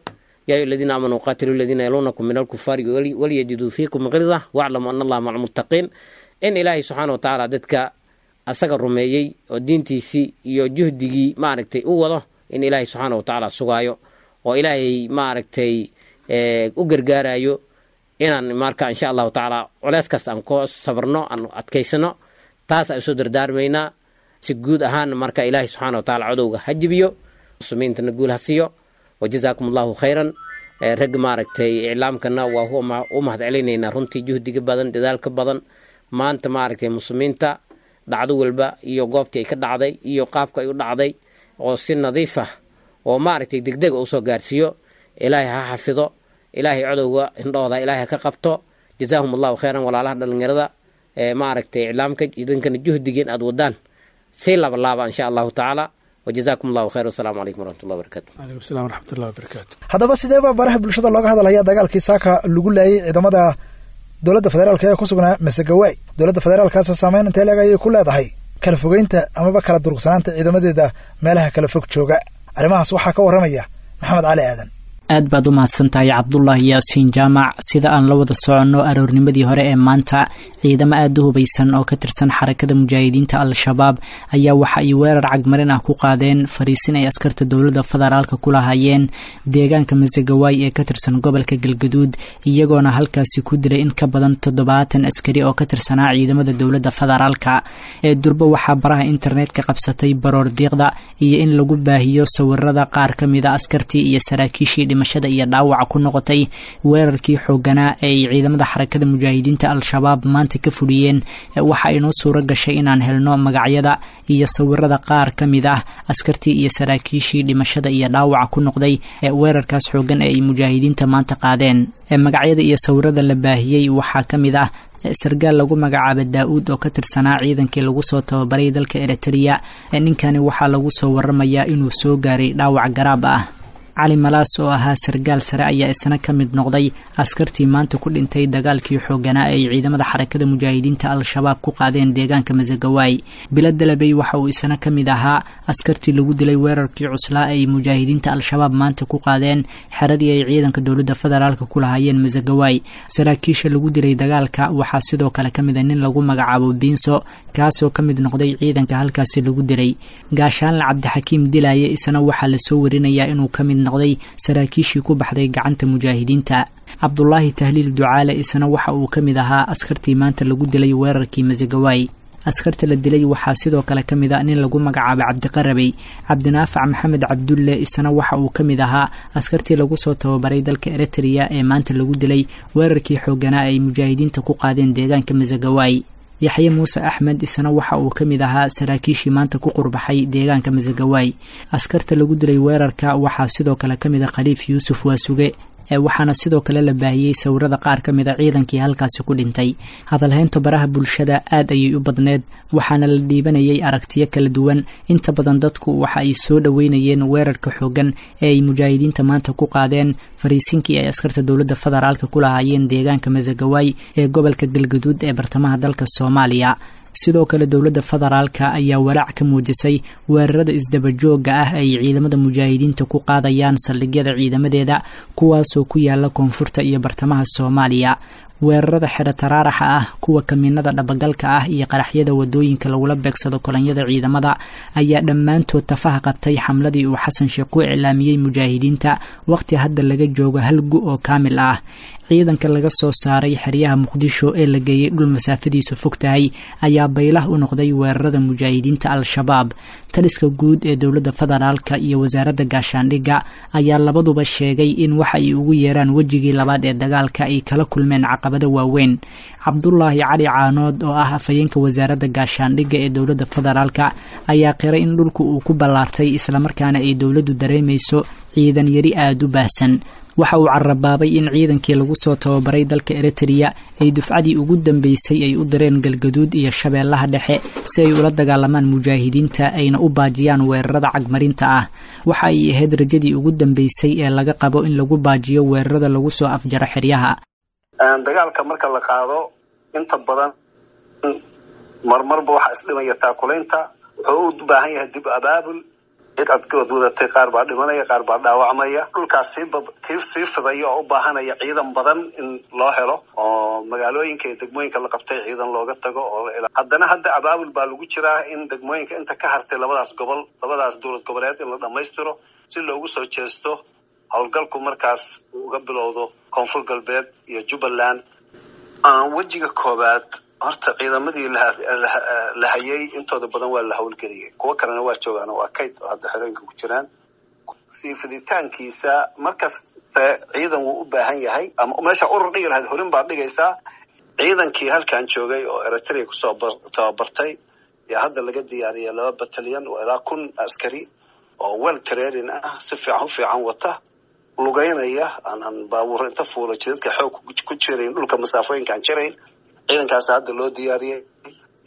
Ya ayuha aladiina aamanuu qaatiluu aladiina yaluunakum min alkufaari walyajiduu fiikum gilda waclamuu ana Allaha maca almuttaqiin. In Ilaahay subxaana wa tacaala dadka asaga rumeeyey oo diintiisii iyo juhdigii maaragtay u wado in Ilaahay subxaana wa tacaala sugaayo oo Ilaahay maaragtay u gargaarayo, inaan marka insha Allahu tacaala culeys kasta aan ku sabrno, aan adkaysano, taas aan usoo dardaarmaynaa si guud ahaan. Marka Ilaahay subxaana wa tacaala codowga ha jibiyo, muslimiintana guul ha siiyo. Wajazaakum Allahu khayran. Rag maaragtay iclaamkana waa u mahad celinaynaa runtii juhdiga badan, dadaalka badan. Maanta maaragtay muslimiinta dhacdo walba iyo goobtii ay ka dhacday iyo qaabka ay u dhacday oo si nadiif ah oo maaragtay degdeg usoo gaarsiiyo, Ilaahay ha xafido, Ilaahay codowga indhooda Ilaahay ha ka qabto. Jazaahum Allahu khayran. Walaalaha dhalinyarada maaragtay iclaamka, idinkana juhdigeen aad wadaan si laba laaba insha Allahu tacaala. Wajazaakum Allahu khayr. Wasalaamu calaykum waraxmatullahi wabarakatu. Calaykum salam waraxmatullahi wabarakaatu. Haddaba sidee baa baraha bulshada looga hadalaya dagaalkii saaka lagu laayay ciidamada dowladda federaalk ee ku sugnaa Masegawaay? Dowladda federaalkaas saameyn intee leeg ayay ku leedahay kala fogeynta amaba kala durugsanaanta ciidamadeeda meelaha kala fog jooga? Arrimahaas waxaa ka warramaya Maxamed Cali Aadan. Aad baad u mahadsantahay Cabdulaahi Yaasiin Jaamac. Sida aan la wada soconno, aroornimadii hore ee maanta ciidamo aada u hubaysan oo ka tirsan Xarakada Mujaahidiinta Al-Shabaab ayaa waxa ay weerar cagmarin ah ku qaadeen fariisin ay askarta dowladda federaalka ku lahaayeen deegaanka Masagawaay ee ka tirsan gobolka Galgaduud, iyagoona halkaasi ku dilay in ka badan toddobaatan askari oo ka tirsanaa ciidamada dowladda federaalka. Ee durbo waxaa baraha internetka qabsatay baroor diiqda iyo in lagu baahiyo sawirada qaar ka mida askartii iyo saraakiishii dhimashada iyo dhaawaca ku noqotay weerarkii xooganaa ee ay ciidamada xarakada mujaahidiinta al-shabaab maanta ka fuliyeen, waxa inoo suuro gashay inaan helno magacyada iyo sawirada qaar ka mid ah askartii iyo saraakiishii dhimashada iyo dhaawaca ku noqday ee weerarkaas xoogan ee ay mujaahidiinta maanta qaadeen. Magacyada iyo sawirada la baahiyey waxaa ka mid ah sargaal lagu magacaaba daa-uud oo ka tirsanaa ciidankii lagu soo tababaray dalka Eritrea. Ninkani waxaa lagu soo waramayaa inuu soo gaaray dhaawac garaab ah. Cali Malaas oo ahaa sargaal sare ayaa isna ka mid noqday askartii maanta ku dhintay dagaalkii xooganaa ay ciidamada xarakada mujaahidiinta al-shabaab ku qaadeen deegaanka Masagawaay. Bilo Dalabey waxa uu isna ka mid ahaa askartii lagu dilay weerarkii cuslaa ay mujaahidiinta al-shabaab maanta ku qaadeen xeradii ay ciidanka dowladda federaalka ku lahaayeen Masagawaay. Saraakiisha lagu dilay dagaalka waxaa sidoo kale ka mid a nin lagu magacaabo Biinso, kaasoo ka mid noqday ciidanka halkaasi lagu dilay. Gaashaanle Cabdixakiim Dilaaye isna waxaa lasoo warinayaa inuu ka mid noqday saraakiishii ku baxday gacanta mujaahidiinta. Cabdulaahi Tahliil Ducaale isna waxa uu ka mid ahaa askartii maanta lagu dilay weerarkii Masagawaay. Askarta la dilay waxaa sidoo kale ka mid a nin lagu magacaabo Cabdiqarabey. Cabdinaafac Maxamed Cabdulle isna waxa uu ka mid ahaa askartii lagu soo tababaray dalka Eritrea ee maanta lagu dilay weerarkii xooganaa ay mujaahidiinta ku qaadeen deegaanka Masagawaay. Yaxye Muuse Axmed isna waxa uu ka mid ahaa saraakiishii maanta ku qurbaxay deegaanka Masagawaay. Askarta lagu dilay weerarka waxaa sidoo kale ka mid a Khaliif Yuusuf Waasuge, waxaana sidoo kale la baahiyey sawirada qaar ka mid a ciidankii halkaasi ku dhintay. Hadalhaynta baraha bulshada aad ayay u badneed, waxaana la dhiibanayay aragtiyo kala duwan. Inta badan dadku waxa ay soo dhoweynayeen weerarka xoogan ee ay mujaahidiinta maanta ku qaadeen fariisinkii ay askarta dowladda federaalka ku lahaayeen deegaanka Masagawaay ee gobolka Galgaduud ee bartamaha dalka Soomaaliya. Sidoo kale dowladda federaalka ayaa walaac ka muujisay weerarada isdabajooga ah ay ciidamada mujaahidiinta ku qaadayaan saldhigyada ciidamadeeda, kuwaasoo ku yaala koonfurta iyo bartamaha Soomaaliya. Weerarada xero taraaraxa ah, kuwa kamiinada dhabagalka ah iyo qaraxyada wadooyinka lagula beegsado kolonyada ciidamada ayaa dhammaantood tafaha qabtay xamladii uu Xasan Sheekh ku iclaamiyey mujaahidiinta waqti hadda laga joogo hal gu oo kaamil ah. Ciidanka laga soo saaray xeryaha Muqdisho ee la geeyey dhul masaafadiisu fog tahay ayaa baylah u noqday weerarada mujaahidiinta al-shabaab. Taliska guud ee dowladda federaalka iyo wasaaradda gaashaandhigga ayaa labaduba sheegay in waxa ay ugu yeeraan wejigii labaad ee dagaalka ay kala kulmeen caqabado waaweyn. Cabdulaahi Cali Caanood oo ah afhayeenka wasaaradda gaashaandhigga ee dowladda federaalka ayaa qiray in dhulku uu ku ballaartay islamarkaana ay dowladdu dareemayso ciidan yari aada u baahsan. Waxa uu carabaabay in ciidankii lagu soo tababaray dalka Eritrea ay dufcadii ugu dambeysay ay u direen Galgaduud iyo Shabeellaha Dhexe si ay ula dagaalamaan mujaahidiinta ayna u baajiyaan weerarada cagmarinta ah. Waxa ay ahayd rajadii ugu dambeysay ee laga qabo in lagu baajiyo weerarada lagu soo afjaro xeryaha. Dagaalka marka la qaado inta badan marmarba waxaa isdhimaya taakulaynta, wuxuu u baahan yahay dib abaabul. Cid adkood wadatay qaar baa dhimanaya, qaar baa dhaawacmaya. Dhulkaas sii sii fidaya oo u baahanaya ciidan badan in loo helo oo magaalooyinka iyo degmooyinka la qabtay ciidan looga tago oo haddana hadda abaabul baa lagu jiraa in degmooyinka inta ka hartay labadaas gobol, labadaas dowlad goboleed in la dhamaystiro si loogu soo jeesto howlgalku markaas uu uga bilowdo Koonfur Galbeed iyo Jubbaland. Wejiga koowaad horta ciidamadii la hayay intooda badan waa la howlgeliyay, kuwo kalena waa joogaan oo waa kayd oo hadda xerooyinka ku jiraan. Sii fiditaankiisa markasta ciidan wuu u baahan yahay, ama meesha urur dhigi lahayd horin baad dhigaysaa. Ciidankii halkan joogay oo Eritrea kusoo tababartay yaa hadda laga diyaariyay laba batalyan oo ilaa kun askari oo well training ah, si fiican u fiican wata, lugeynaya, aan baabuur inta fuula jidadka xoog ku jirayn, dhulka masaafooyinka aan jirayn. Ciidankaas hadda loo diyaariyey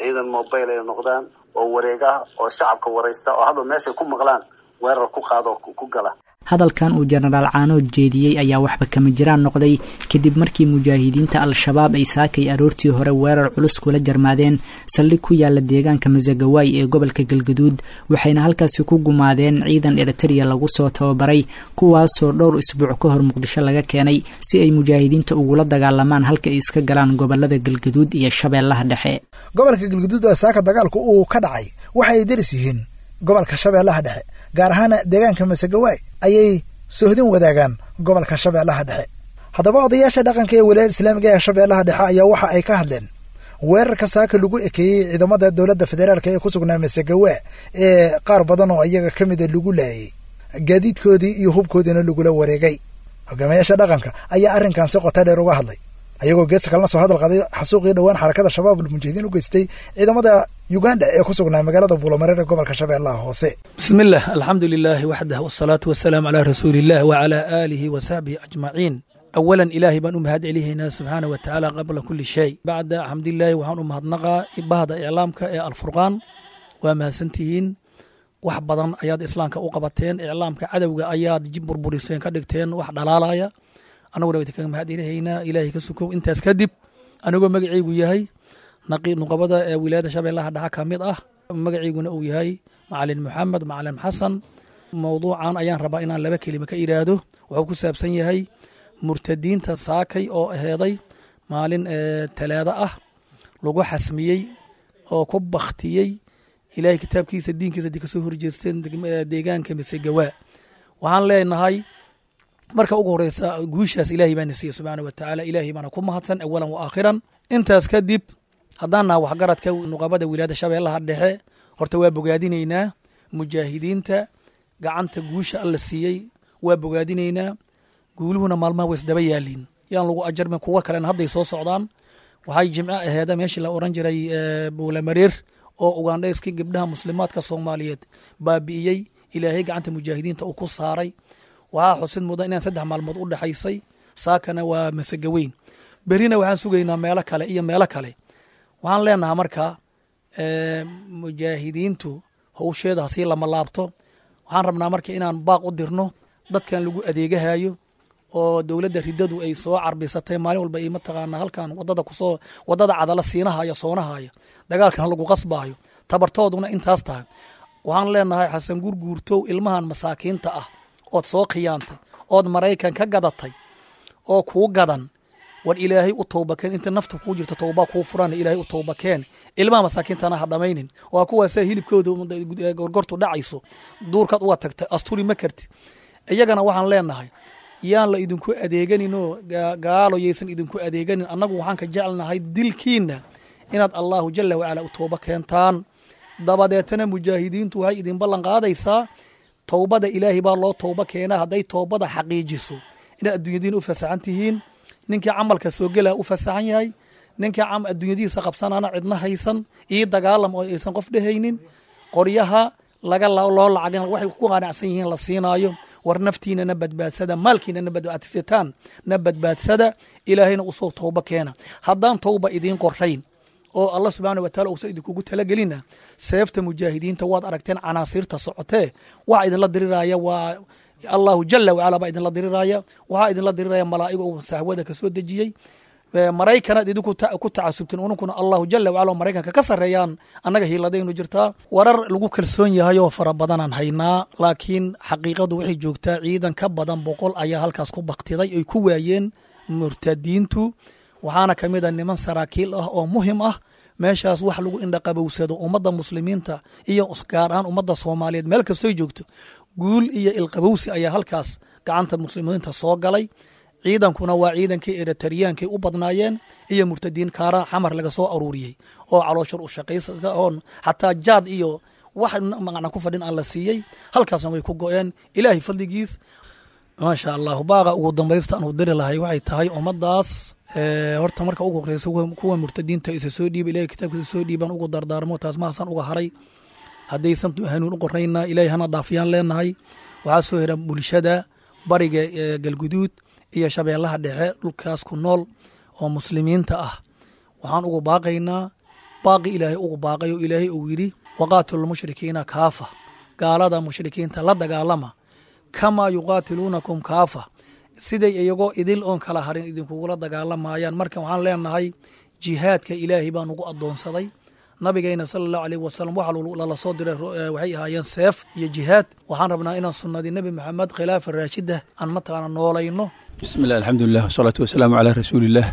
ciidan mobile ay noqdaan oo wareega oo shacabka waraysta oo hadda meeshay ku maqlaan weerar ku qaado ku gala. Hadalkan uu Jenaraal Caanood jeediyey ayaa waxba kama jiraan noqday kadib markii mujaahidiinta al-shabaab ay saakay aroortii hore weerar culus kula jarmaadeen saldhig ku yaala deegaanka Masagawaay ee gobolka Galgaduud, waxayna halkaasi ku gumaadeen ciidan Eritrea lagu soo tababaray, kuwaasoo dhowr isbuuc ka hor Muqdisho laga keenay si ay mujaahidiinta ugula dagaalamaan halka ay iska galaan gobolada Galgaduud iyo Shabeellaha Dhexe. Gobolka Galgaduud ee saaka dagaalku uu ka dhacay waxa ay deris yihiin gobolka Shabeellaha Dhexe, gaar ahaan deegaanka Masagawaay ayay sohdin wadaagaan gobolka Shabeellaha Dhexe. Haddaba odayaasha dhaqanka ee walaayada islaamiga ee Shabeellaha Dhexe ayaa waxa ay ka hadleen weerarka saaka lagu ekeeyey ciidamada dowladda federaalka ee ku sugnaa Masagawa ee qaar badan oo iyaga ka mida lagu laayay, gaadiidkoodii iyo hubkoodiina lagula wareegay. Hogaamiyaasha dhaqanka ayaa arrinkan si qota dheer uga hadlay, ayagoo geesta kalena soo hadal qaday xasuuqii dhowaan xarakada Shabaabul Mujaahidiin u geystay ciidamada Uganda ee ku sugnaa magaalada Buulamareer ee gobolka Shabeellaha Hoose. بسم الله، الحمد لله وحده، والصلاة والسلام على رسول الله وعلى آله وصحبه أجمعين. أولا، إلهي baan u mahad celihaynaa subxaana wa tacaala qabla kulli shay. Bacda xamdilaahi, waxaan u mahadnaqaa bahda iclaamka ee Alfurqaan. Waa mahadsantihiin, wax badan ayaad islaamka u qabateen. Iclaamka cadowga ayaad jib burburiseen, ka dhigteen wax dhalaalaya. Annaguna waa idinkaga mahad celihaynaa, Ilaahay ka sukow. Intaas kadib, anigoo magacaygu yahay naqi nuqabada ee wilaayada Shabeellaha Dhexe ka mid ah, magaciiguna uu yahay Macalin Maxamed Macalin Xasan, mowduucan ayaan rabaa inaan laba kelima ka iraahdo. Wuxuu ku saabsan yahay murtadiinta saakay oo aheeday maalin talaado ah lagu xasmiyey oo ku baktiyey Ilaahay kitaabkiisa, diinkiisa haddii kasoo horjeesteen deegaanka Misegawaa. Waxaan leenahay marka ugu horeysa, guushaas Ilaahay baana siiyey subxaana wa tacaala. Ilaahay baana ku mahadsan awalan wa aakhiran. Intaas kadib, haddaan naha waxgaradka nuqabada wilaayada Shabeellaha Dhexe, horta waa bogaadinaynaa mujaahidiinta gacanta guusha Alla siiyey, waa bogaadinaynaa. Guuluhuna maalmaha way isdaba yaaliin, yaan lagu ajarmin, kuwa kalena hadday soo socdaan. Waxay jimco aheeda meeshii la oran jiray Buulamareer oo Ugandhayskii gabdhaha muslimaadka Soomaaliyeed baabi'iyey, Ilaahay gacanta mujaahidiinta uu ku saaray. Waxaa xusid mudan inaan saddex maalmood u dhexaysay. Saakana waa Masegaweyn, berrina waxaan sugaynaa meelo kale iyo meelo kale. Waxaan leenahaa marka mujaahidiintu howsheeda hasii lama laabto. Waxaan rabnaa marka inaan baaq u dirno dadkan lagu adeegahayo oo dowladda riddadu ay soo carbisatay maalin walba ay mataqaanaa halkan wadada kusoo wadada cadala siinahaya soonahaya, dagaalkan lagu qasbaayo, tabartooduna intaas tahay. Waxaan leenahay, Xasan Gurguurtow, ilmahan masaakiinta ah ood soo khiyaantay ood Maraykan ka gadatay oo kuu gadan, war Ilaahay u towbakeen. Inta nafta kuu jirto towba kuu furan, Ilaahay u towbakeen. Ilmaha masaakiintana ha dhamaynin. Waa kuwaasee hilibkooda gorgortu dhacayso, duurkaad uga tagtay, asturi ma karti. Iyagana waxaan leenahay, yaan la idinku adeeganinoo gaalo yaysan idinku adeeganin. Annagu waxaan ka jecelnahay dilkiina inaad Allahu jala wacala u tooba keentaan. Dabadeetana mujaahidiintu waxay idin ballan qaadaysaa, towbada Ilaahay baa loo towba keenaa, hadday towbada xaqiijiso inaad adduunyadiina u fasaxan tihiin. Ninkii camalka soo gelaa u fasaxan yahay, ninkii adduunyadiisa qabsanana cidna haysan io dagaalam oo aysan qof dhehaynin, qoryaha laga loo lacagan waxay ku qanacsan yihiin la siinaayo. War naftiinana badbaadsada, maalkiinana badbaadsataan na badbaadsada, Ilaahayna usoo towba keena. Haddaan towba idiin qorayn oo Allah subxaana wa taala uusan idinkugu talagelina, seefta mujaahidiinta waad aragteen canaasiirta socotee. Waxa idinla diriraya waa Allahu jala wacala baa idinla diriraya. Waxaa idinla diriraya malaa'iga uu sahwada ka soo dejiyey. Maraykanaad idinku ku tacasubteen, ununkuna Allahu jala wacala oo Maraykanka ka sarreeyaan annaga hiiladaynu jirtaa. Warar lagu kalsoon yahay oo fara badanaan haynaa, laakiin xaqiiqadu waxay joogtaa ciidan ka badan boqol ayaa halkaas ku baktiday ay ku waayeen murtadiintu. Waxaana ka mid a niman saraakiil ah oo muhim ah. Meeshaas wax lagu indhaqabowsado ummadda muslimiinta iyo gaar ahaan ummadda Soomaaliyeed meel kastoy joogto, guul iyo ilqabowsi ayaa halkaas gacanta muslimiinta soo galay. Ciidankuna waa ciidankii Eritariyaankay u badnaayeen iyo murtadiin kaara Xamar laga soo aruuriyey oo calooshur u shaqaysa oon xataa jaad iyo wax macna ku fadhin aan la siiyey. Halkaasna way ku go-een, Ilaahay fadligiis, maasha Allahu. Baaqa ugu dambaysta aan u diri lahay waxay tahay ummaddaas, horta marka ugu horeysa kuwa murtadiinta isa soo dhiiba, Ilahay kitaabkiisa soo dhiibaan ugu dardaarmo. Taas mahasaan uga haray. Haddaysan hanuun u qorayna, Ilahay hana dhaafiyaan leenahay. Waxaa soo hira bulshada bariga Galguduud iyo Shabeellaha Dhexe dhulkaas ku nool oo muslimiinta ah, waxaan ugu baaqaynaa baaqi Ilaahay ugu baaqay oo Ilaahay uu yidhi: waqaatilu lmushrikiina kaafa, gaalada mushrikiinta la dagaalama, kamaa yuqaatiluunakum kaafa, siday iyagoo idil oon kala harin idinkugula dagaalamayaan. Marka waxaan leenahay, jihaadka Ilaahay baa nugu addoonsaday. Nabigeyna sala Allahu aleyh wasalam waxa lala soo diray waxay ahaayeen seef iyo jihaad. Waxaan rabnaa inaan sunnadii Nebi Maxamed, khilaafa raashida, aan mataqaana noolayno. Bismi llah, alxamdulilah, wasalaatu wasalaamu calaa rasuuliillah.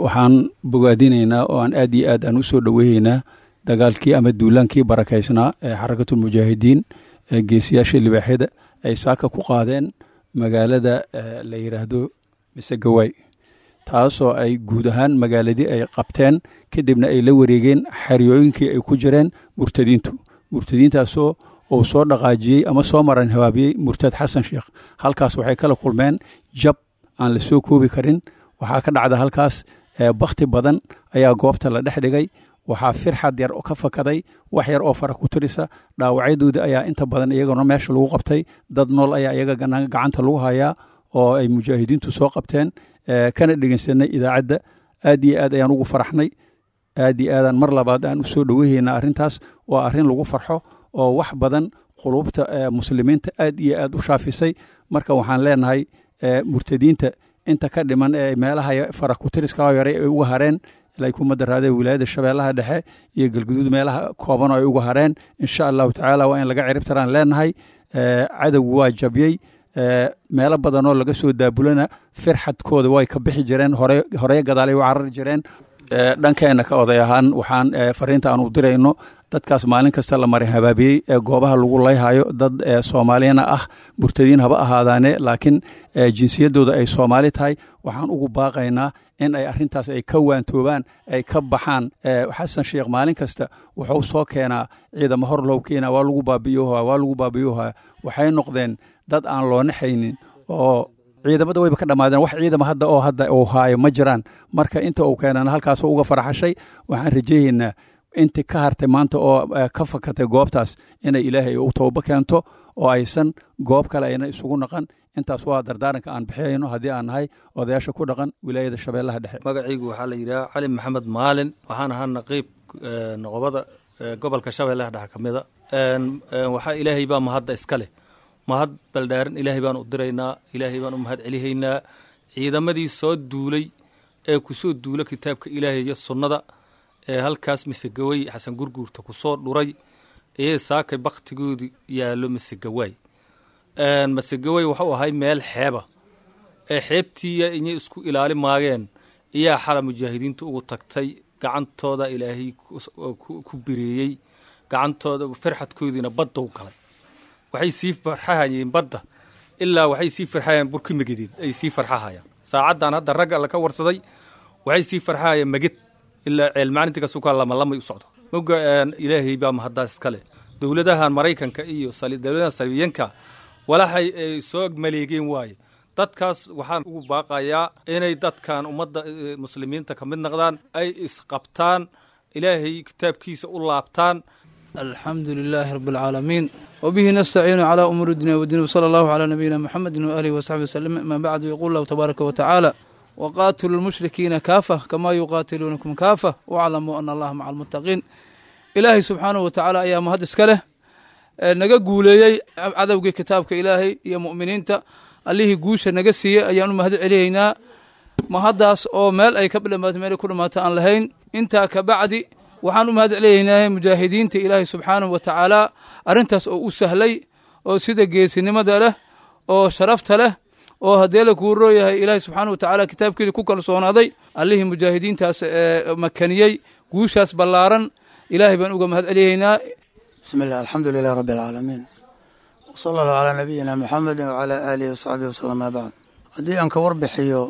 Waxaan bogaadinaynaa oo aan aad iyo aad aan u soo dhoweynaynaa dagaalkii ama duulaankii barakaysnaa ee Xarakatulmujaahidiin ee geesiyaasha libaaxyada ay saaka ku qaadeen magaalada la yidhaahdo Misegawaay, taasoo ay guud ahaan magaaladii ay qabteen, kadibna ay la wareegeen xeryooyinkii ay ku jireen murtadiintu, murtadiintaasoo Uu soo dhaqaajiyey ama soo maran habaabiyey murtad Xasan Sheekh. Halkaas waxay kala kulmeen jab aan la soo koobi karin. Waxaa ka dhacda halkaas bakhti badan ayaa goobta la dhex dhigay. Waxaa firxad yar ka fakaday, wax yar oo fara ku tirisa. Dhaawacyadooda ayaa inta badan iyagana meesha lagu qabtay. Dad nool ayaa iyaga gacanta lagu hayaa oo ay mujaahidiintu soo qabteen, kana dhegeysanay idaacadda. Aad iyo aad ayaan ugu faraxnay, aad iyo aadaan mar labaad aan usoo dhowehaynaa arrintaas. Waa arrin lagu farxo oo wax badan quluubta muslimiinta aad iyo aad u shaafisay. Marka waxaan leenahay murtadiinta inta ka dhiman ee meelaha fara ku tiriska yaray ay uga hareen ilay kuma daraadee wilaayada Shabeellaha Dhexe iyo Galguduud, meelaha kooban oo ay uga hareen, insha Allahu tacaala waa in laga cirib taraan leenahay. Cadowgu waa jabiyey, meelo badanoo laga soo daabulana firxadkooda way ka bixi jireen, hore horey gadaalay u carari jireen. Dhankeena ka oday ahaan waxaan fariinta aan u dirayno dadkaas maalin kasta la marin habaabiyey ee goobaha lagu layhayo, dad Soomaaliyana ah, murtadiin haba ahaadaane, laakiin jinsiyadooda ay Soomaali tahay, waxaan ugu baaqaynaa in ay arrintaas ay ka waantoobaan, ay ka baxaan. Xasan Sheekh maalin kasta wuxuu soo keenaa ciidamo hor loo keenaa, waa lagu baabi'iyoha, waa lagu baabi'iyoha. Waxay noqdeen dad aan loo naxaynin oo ciidamada wayba ka dhammaadeen. Wax ciidama hadda oo hadda uu haayo ma jiraan. Marka inta uu keenana halkaasoo uga faraxashay. Waxaan rajeeyaynaa inti ka hartay maanta oo ka fakatay goobtaas inay Ilaahay u tooba keento oo aysan goob kale ayna isugu naqan. Intaas waa dardaaranka aan bixiyayno haddii aan nahay odayaasha ku dhaqan wilaayada Shabeellaha Dhexe. Magacaygu waxaa la yidhaha Cali Maxamed Maalin. Waxaan ahaa naqiib noqobada gobolka Shabeellaha Dhexe ka mida. Waxaa Ilaahay baa mahadda iska leh, mahad baldhaaran Ilaahay baan u diraynaa, Ilaahay baan u mahad celihaynaa. Ciidamadii soo duulay ee kusoo duula kitaabka Ilaahay iyo sunnada ee halkaas Misegaway Xasan Gurguurta kusoo dhuray ee saakay baktigoodii yaallo Misegawaay. Masegaway wuxuu ahay meel xeeba ee xeebtiiya inay isku ilaali maageen iyaa xala mujaahidiintu ugu tagtay, gacantooda Ilaahay ku bireeyey, gacantooda firxadkoodiina badda u galay. Waxay sii farxahayeen badda ilaa waxay sii farxahayeen burki megedeed ay sii farxahayaan saacaddan hadda ragga la ka warsaday. Waxay sii farxahayeen meged ilaa ceelmaalinta kasukaa lama lamay u socdo moga. Ilaahay baa mahaddaas iskale. Dowladahan Maraykanka iyo dowladahan salibiyanka walaxay ay soo maleegeen waaye. Dadkaas waxaan ugu baaqayaa inay dadkan ummadda muslimiinta ka mid noqdaan, ay isqabtaan, Ilaahay kitaabkiisa u laabtaan. Alxamdu lilaahi rabi alcaalamiin, wbihi nastaciinu calaa umuuri dunya wdiin, wsala allahu calaa nabiyina muxamedi waaalihi wasaxbi waslem. Amaa bacdu, yaquul lahu tabaaraka wa tacaala: waqaatiluu lmushrikiina kaafa kamaa yuqaatiluunakum kaafa waclamuu ana allaha maca almuttaqiin. Ilaahay subxaanahu wa tacaala ayaa mahad iska leh naga guuleeyey cadowgii kitaabka Ilaahay iyo mu'miniinta. Allihii guusha naga siiyey ayaan u mahad celiyeynaa, mahaddaas oo meel ay ka dhamaato meel ay ku dhamaato aan lahayn. Intaa ka bacdi waxaan u mahad celiyeynaa mujaahidiinta Ilaahay subxaanahu wa tacaala arrintaas oo u sahlay oo sida geesinimada leh oo sharafta leh oo haddee la kuu rooyahay Ilaahay subxaanahu wa tacaala kitaabkiisa ku kalsoonaaday. Allihii mujaahidiintaas ee makaniyey guushaas ballaaran Ilaahay baan uga mahad celiyeynaa. Bismi illah, alxamdu lilah rabbi alcaalamiin, wsala allahu calaa nabiyina muxamedin wacalaa aalihi wasaxbihi wasalam, maa bacd. Haddii aan ka warbixiyo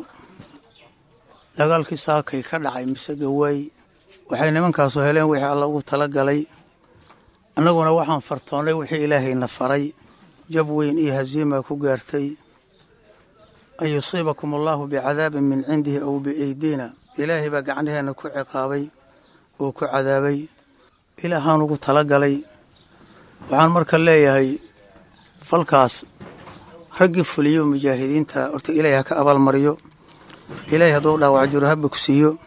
dagaalkii saakay ka dhacay Misegaway, waxay nimankaasu heleen wixii Alla ugu tala galay, annaguna waxaan fartoonnay wixii Ilaahayna faray. Jab weyn iyo haziima ku gaartay. An yusiibakum allaahu bicadaabin min cindihi aw biaydina. Ilaahay baa gacnaheenna ku ciqaabay oo ku cadaabay, Ilaahaan ugu tala galay. Waxaan marka leeyahay falkaas raggii fuliyo mujaahidiinta horta Ilaahay ha ka abaalmariyo. Ilaahay hadduu dhaawac jiro ha bogsiiyo,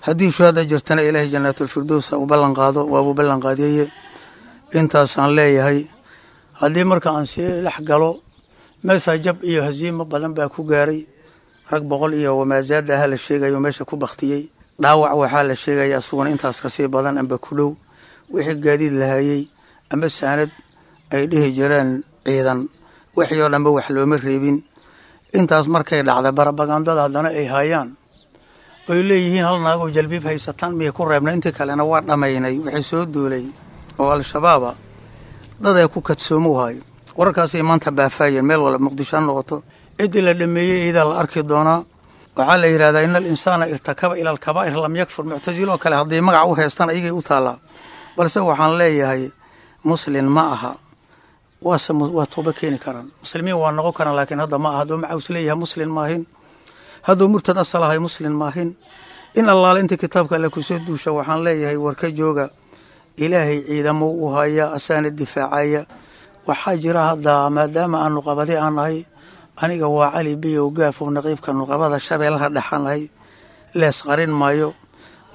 haddii shuhada jirtana Ilaahay jannaatulfirdows ha u ballan qaado, waabuu ballan qaadiyeye. Intaasaan leeyahay. Haddii marka aan sii dhex galo, meeshaa jab iyo haziimo badan baa ku gaaray. Rag boqol iyo wamaasaada aha la sheegayo meesha ku baktiyey. Dhaawac waxaa la sheegaya asuguna intaas kasii badan amba ku dhow. Wixii gaadiid lahayey amba saanad ay dhihi jireen ciidan, wixii oo dhanba wax looma reebin. Intaas markay dhacda, barabagandada haddana ay haayaan oy leeyihiin hal naagoo jalbiib haysataan miyay ku reebnay, intii kalena waa dhammaynay. Wixii soo duulay oo Al-Shabaaba dad ay ku kadsoomu hayo wararkaasay maanta baafaayeen meel walba, Muqdisho ha noqoto. Ciddii la dhameeyey iyadaa la arki doonaa. Waxaa la yidhahdaa ina alinsaana irtakaba ila alkabaa'ir lam yakfur. Muctasiloo kale hadday magac u haystaan ayagay u taallaa, balse waxaan leeyahay muslin ma aha. Waase waa tooba keeni karaan, muslimiin waa noqon karaan, laakiin hadda ma aha. Hadduu macaws leeyahay muslin maahin, hadduu murtad asal ahay muslin maahin. In allaale inta kitaabka alle kusoo duusha waxaan leeyahay war ka jooga, ilaahay ciidamo u haya, asaana difaacaya. Waxaa jira hadda maadaama aanu qabadi aan nahay, aniga waa Cali Biyow Gaafow, naqiibka nuqabada Shabeellaha Dhexaan nahay, lees qarin maayo.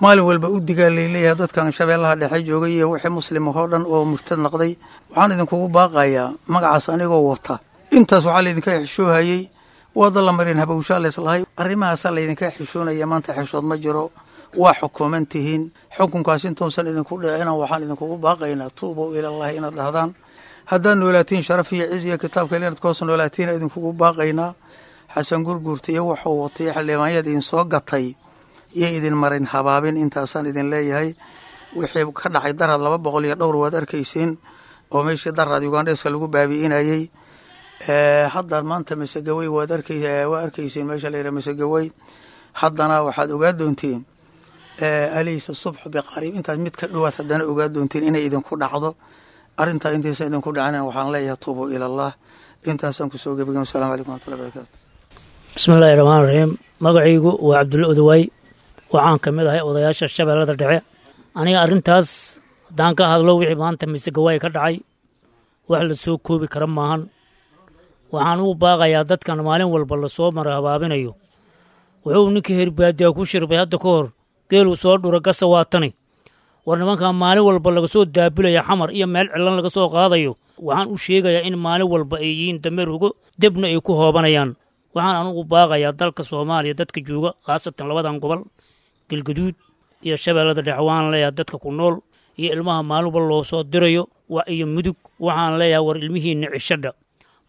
Maalin walba u digaa layleeyahay dadkan Shabeellaha Dhexe joogay iyo wixii muslim oo dhan oo murtad noqday. Waxaan idinkugu baaqayaa magacaas anigoo wata, intaas waxaa laydinka xishoohayey waada la marin habowshaa leeslahay, arrimahaasaa laydinka xishoonaya. Maanta xishood ma jiro, waa xukuuman tihiin. Xukunkaas intuusan idinku dhicina waxaan idinkugu baaqaynaa tuubow ilallahi inaad dhahdaan. Haddaad noolaatiin sharaf iyo ciz iyo kitaabka inaad koos noolaatiin idinkugu baaqaynaa. Xasan Gurguurta iyo wuxuu watay xildhibaanyad idin soo gatay iyo idin marin habaabin, intaasaan idin leeyahay. Wixii ka dhacay Daraad laba boqol iyo dhowr waad arkaysiin, oo meeshii Daraad Ugandheska lagu baabi'inayey. Hadda maanta Masagawey waad arkay, waa arkaysiin meesha la yidhaha Masagawey. Haddana waxaad ogaa doontiin alaysa subxu biqariib, intaas mid ka dhowaad haddana ogaa doontiin inay idinku dhacdo arrintaa. Intaysan idinku dhacina waxaan leeyahay tuubu ilallah. Intaasaan kusoo gebagay. Wasalamu calaykum waraxmatullahi barakatu. Bismillahi raxmaan raxiim. Magacaygu waa Cabdulla Odawaay, waxaan ka mid ahay odayaasha Shabeellada Dhexe. Aniga arrintaas haddaan ka hadlo, wixii maanta Misegawaay ka dhacay wax la soo koobi kara maahan. Waxaan ugu baaqayaa dadkan maalin walba lasoo mara habaabinayo. Wuxuu ninkii herbaadiyaa ku shirbay hadda ka hor geeluu soo dhura gasa waatani. War nimankan maalin walba laga soo daabulaya Xamar iyo meel cilan laga soo qaadayo, waxaan u sheegayaa in maalin walba ay yihiin dameer hugo debna ay ku hoobanayaan. Waxaan anugu baaqayaa dalka Soomaaliya dadka jooga, khaasatan labadan gobol, Galgaduud iyo Shabeellada Dhexe. Waxaan leeyahay dadka ku nool iyo ilmaha maalin walba loo soo dirayo iyo Mudug, waxaan leeyahay war ilmihiinna cishadha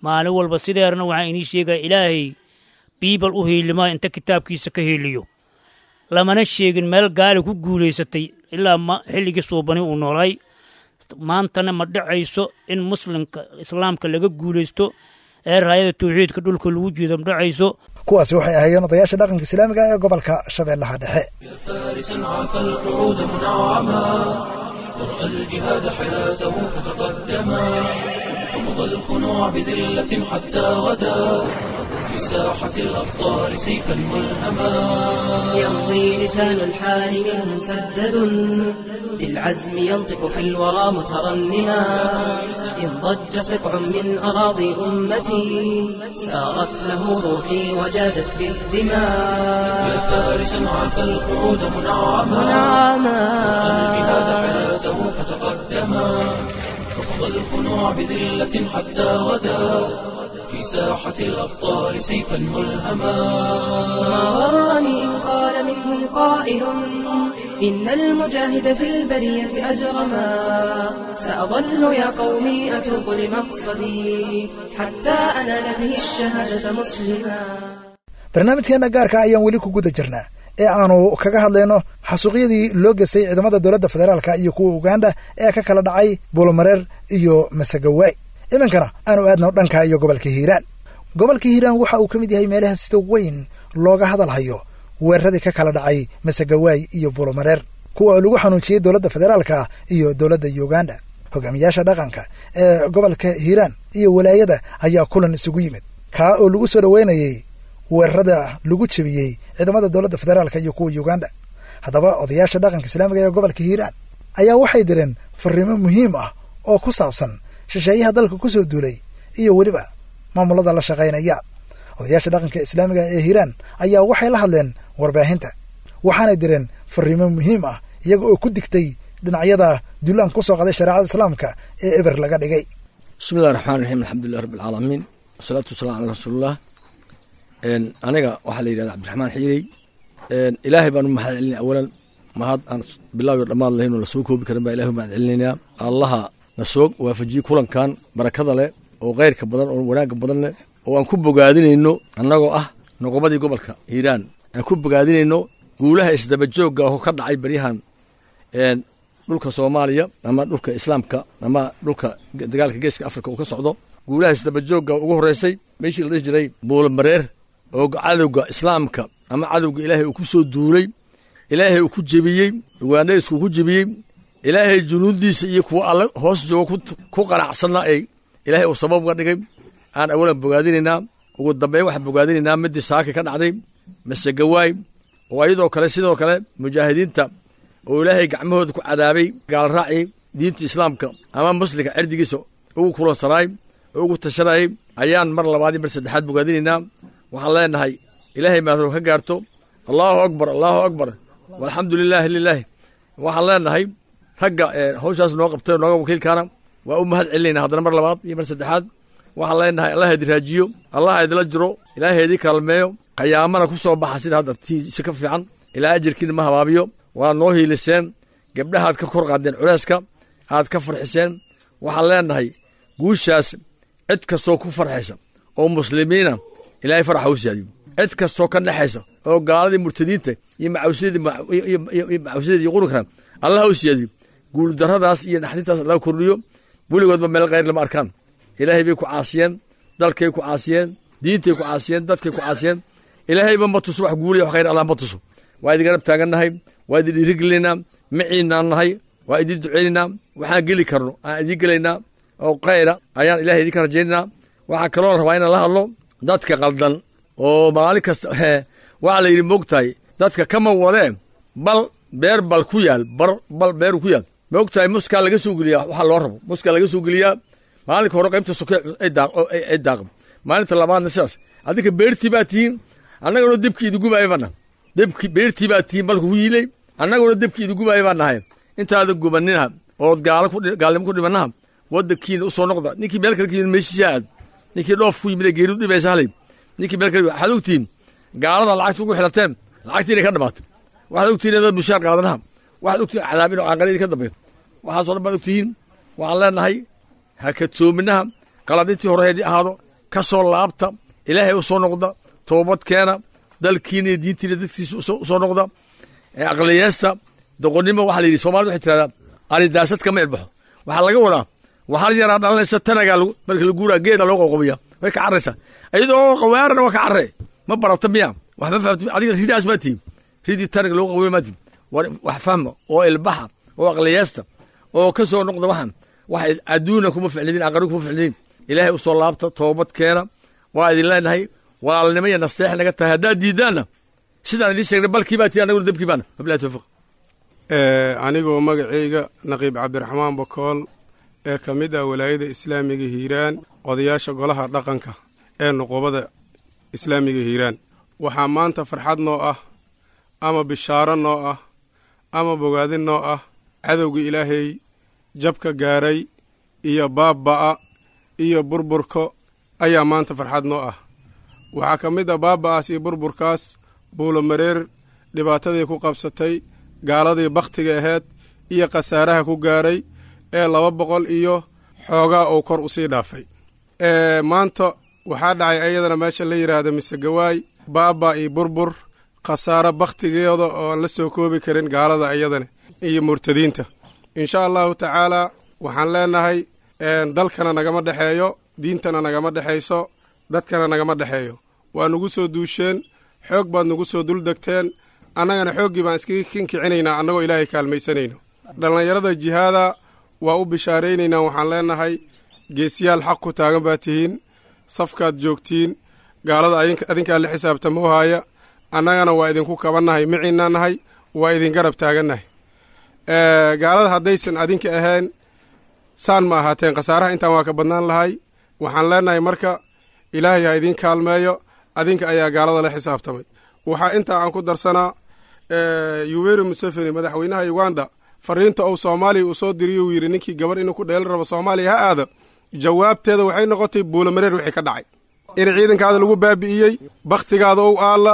maalin walba sideerna. Waxaan inii sheegaya ilaahay biibal u hiilimaa inta kitaabkiisa ka hiiliyo. Lamana sheegin meel gaali ku guulaysatay ilaa ma xilligii Suubani uu noolay. Maantana ma dhacayso in muslimka islaamka laga guulaysto ee raayada tawxiidka dhulka lagu jiido, ma dhacayso. Kuwaasi waxay ahaayeen odayaasha dhaqanka islaamiga ee gobolka Shabeellaha Dhexe. فارسا عفى القعود منعما، ورأى الجهاد حياته فتقدما، رفض الخنوع بذلة حتى غدا في ساحة الأبطال سيفا ملهما. يمضي لسان الحال منه مسدد بالعزم، ينطق في الورى مترنما. إن ضج سقع من أراضي أمتي سارت له روحي وجادت بالدماء. يا فارسا عفى القعود منعما، منعما، الجهاد حياته فتقدما، رفض الخنوع بذلة حتى غدا في ساحة الأبطال سيفا ملهما. ما غرني إن قال منهم قائل إن المجاهد في البرية أجرما. سأظل يا قومي أتوق لمقصدي حتى أنال به الشهادة مسلما. Barnaamijkeena gaarka ayaan weli ku guda jirnaa ee aanu kaga hadlayno xasuuqyadii loo gesay ciidamada dowladda federaalka iyo kuwa Uganda ee ka kala dhacay Buulomareer iyo Masagawaay. Iminkana aanu aadno dhanka iyo gobolka Hiiraan. Gobolka Hiiraan waxa uu ka mid yahay meelaha sida weyn looga hadal hayo weeraradii ka kala dhacay Masagawaay iyo Buulomareer, kuwa lagu xanuujiyey dowladda federaalka iyo dowladda Uganda. Hogaamiyaasha dhaqanka ee gobolka Hiiraan iyo walaayada ayaa kulan isugu yimid, kaa oo lagu soo dhoweynayey weerarada lagu jebiyey ciidamada dowladda federaalka iyo kuwa Uganda. Haddaba odayaasha dhaqanka islaamiga ee gobolka Hiiraan ayaa waxay direen fariimo muhiim ah oo ku saabsan shisheeyaha dalka ku soo duulay iyo weliba maamulada la shaqaynaya. Odayaasha dhaqanka islaamiga ee Hiiraan ayaa waxay la hadleen warbaahinta, waxaanay direen fariimo muhiim ah iyaga oo ku digtay dhinacyada duulaan ku soo qaday shareecada islaamka ee eber laga dhigay. Bismillahi raxmaan raxiim, alxamdulilah rabbi alcaalamiin, wasalaatu wasalaam calaa rasuulillah. Aniga waxaa la yidhahda Cabdiraxmaan Xiirey. Ilaahay baan u mahad celinaya awalan, mahad aan bilaaw iyo dhammaad lahayn oo lasoo koobi karin baa ilahay u mahad celinaynaa. Allaha na soo waafajiyey kulankan barakada leh oo khayrka badan oo wanaagga badan leh oo aan ku bogaadinayno, annagoo ah noqobadii gobolka Hiiraan, aan ku bogaadinayno guulaha isdabajoogga oo ka dhacay baryahan dhulka Soomaaliya ama dhulka islaamka ama dhulka dagaalka geeska Afrika uu ka socdo. Guulaha isdabajoogga ugu horreysay meeshii la dhihi jiray Buulomareer oo cadowga islaamka ama cadowga ilaahay uu ku soo duulay, ilaahay uu ku jebiyey, Ugaandhaysku ku jebiyey, ilaahay junuudiisa iyo kuwa alle hoos jooga ku qanacsanna ay Ilaahay uu sabab uga dhigay aan awalan bogaadinaynaa. Ugu dambeyn waxaan bogaadinaynaa midii saaka ka dhacday Masegawaay, oo iyadoo kale sidoo kale mujaahidiinta oo Ilaahay gacmahooda ku cadaabay gaalraacii diinta islaamka ama muslimka cirdigiisa ugu kulansanaay oo ugu tashanayay ayaan mar labaad iyo mar saddexaad bogaadinaynaa. Waxaan leenahay Ilaahay maadoo ka gaarto. Allahu akbar, allahu akbar, walxamdu lilaahi lilaahi. Waxaan leenahay ragga hawshaas noo qabtay oo nooga wakiilkaana waa u mahad celinayna haddana mar labaad iyo mar saddexaad. Waxaan leenahay Allah idin raajiyo, Allah idinla jiro, Ilaahay idin kaalmeeyo, qiyaamana ku soo baxa sida hadda tiisa ka fiican. Ilaa ajirkiina ma habaabiyo. Waa noo hiiliseen, gabdhahaad ka kor qaadeen culeyska, aad ka farxiseen. Waxaan leenahay guushaas cid kastoo ku farxaysa oo muslimiina Ilaahay faraxa u siyaadiyo. Cid kastoo ka dhexaysa oo gaaladii murtadiinta iyo macawsyadii iyo macawsyadii iyo qurunkana Allah u siyaadiyo. Guuldarradaas iyo naxdintaas Allah kordhiyo. Weligoodba meel khayr lama arkaan. Ilaahay bay ku caasiyeen, dalkay ku caasiyeen, diintay ku caasiyeen, dadkay ku caasiyeen. Ilaahayba ma tuso wax guuliya, wax khayr Allah ma tuso. Waa idin garab taagannahay, waa idin dhiirigelinaynaa, maciinaan nahay, waa idin duceynaynaa. Waxaan geli karno aan idin gelaynaa oo khayra ayaan Ilaahay idinka rajaynaynaa. Waxaan kaloo rabaa inaan la hadlo dadka qaldan oo maalin kasta waxaa la yidhi moogtahay dadka kama wadee bal beer bal ku yaal bar bal beer ku yaal moogtahay muskaa laga soo geliyaa waxaa loo rabo muskaa laga soo geliyaa maalinka hore qaybta soke ay daaq ay daaq maalinta labaadna sidaas. Adinka beertii baa tihiin, annaguna dibkii idin gubaaya baa nahay. Dibki beertii baa tihiin balka ku yiilay, annaguna dibkii idin gubaaya baa nahay. Intaada gubaninaha ood gaalo ku gaalnimo ku dhimanaha waddankiina u soo noqda. Ninkii meel kale ka yimid meeshiisa aad, ninkii dhoof ku yimid ee geeridu dhibaysa halay, ninkii meel kale waxaad ogtihiin gaalada lacagta ugu xilateen lacagtii inay ka dhamaatay. Waxaad ogtihiin inaad mushaar qaadanaha, waxaad ogtihiin cadaab inuu caanqara idinka dambeeyo. Waxaasoo dhan baad ogtihiin. Waxaan leenahay ha kadsoominaha, qalad intii hore haydii ahaado ka soo laabta, Ilaahay u soo noqda, toobad keena, dalkiina iyo diintiina dadkiisa u soo noqda. Aqliyeesta doqonnimo waxaa la yidhi Soomaalida waxay tirahdaa aridaasad kama irbaxo. Waxaa laga wadaa waxaa yaraa dhalanaysa tanagaa marka la guuraa geeda loo qoqobiya way ka carraysaa iyadoo qawaarana waa ka carre ma barata miya wax ma fahamti adiga ridaas maa tihin ridii tanaga loo qoqobiya maa tihin. Wax fahma oo ilbaxa oo aqliyeesta oo ka soo noqda waxaan wax adduuna kuma ficlidin aqari kuma ficlidin. Ilaahay u soo laabta, toobad keena. Waa idin leenahay walaalnimo iyo naseex naga tahay. Haddaad diidaanna sidaan idiin sheegnay balkii baa tihi annaguna dabkii baana. Wabillahi tawfiiq. Anigoo magacayga Naqiib Cabdiraxmaan Bakool ee ka mid ah walaayada islaamiga Hiiraan, odayaasha golaha dhaqanka ee nuqubada islaamiga Hiiraan, waxaa maanta farxad noo ah ama bishaaro noo ah ama bogaadin noo ah cadowga Ilaahay jabka gaaray iyo baabba'a iyo burburka ayaa maanta farxad noo ah. Waxaa ka mid ah baabba'aas iyo burburkaas Buulomareer dhibaatadii ku qabsatay gaaladii bakhtiga ahayd iyo khasaaraha ku gaaray ee laba boqol iyo xoogaa uu kor u sii dhaafay. Maanta waxaa dhacay ayadana meesha la yidhaahda Misegawaay baaba iyo burbur khasaaro bakhtigeeda oo aan la soo koobi karin gaalada ayadana iyo murtadiinta. Insha allahu tacaalaa waxaan leenahay dalkana nagama dhexeeyo, diintana nagama dhexayso, dadkana nagama dhexeeyo. Waa nugu soo duusheen, xoog baad nugu soo duldegteen, annagana xooggii baan iskaga kinkicinaynaa annagoo Ilaahay kaalmaysanayno. Dhallinyarada jihaada waa u bishaaraynaynaa. Waxaan leenahay geesiyaal xaq ku taagan baa tihiin, safkaad joogtiin, gaalada adinkaa la xisaabtamoo haaya, annagana waa idinku kabannahay, miciinaa nahay, waa idin garab taagannahay. Gaalada haddaysan adinka ahayn saan ma ahaateen, khasaaraha intaan waa ka badnaan lahay. Waxaan leenahay marka Ilaahay ha idiin kaalmeeyo, adinka ayaa gaalada la xisaabtamay. Waxaa intaa aan ku darsanaa Yoweri Museveni madaxweynaha Uganda fariinta uu Soomaaliya uu soo diriyo uu yidhi ninkii gabar inuu ku dheelan rabo Soomaaliya ha aado. Jawaabteeda waxay noqotay Buulomareer wixii ka dhacay in ciidankaada lagu baabi'iyey, bakhtigaada ou aalla,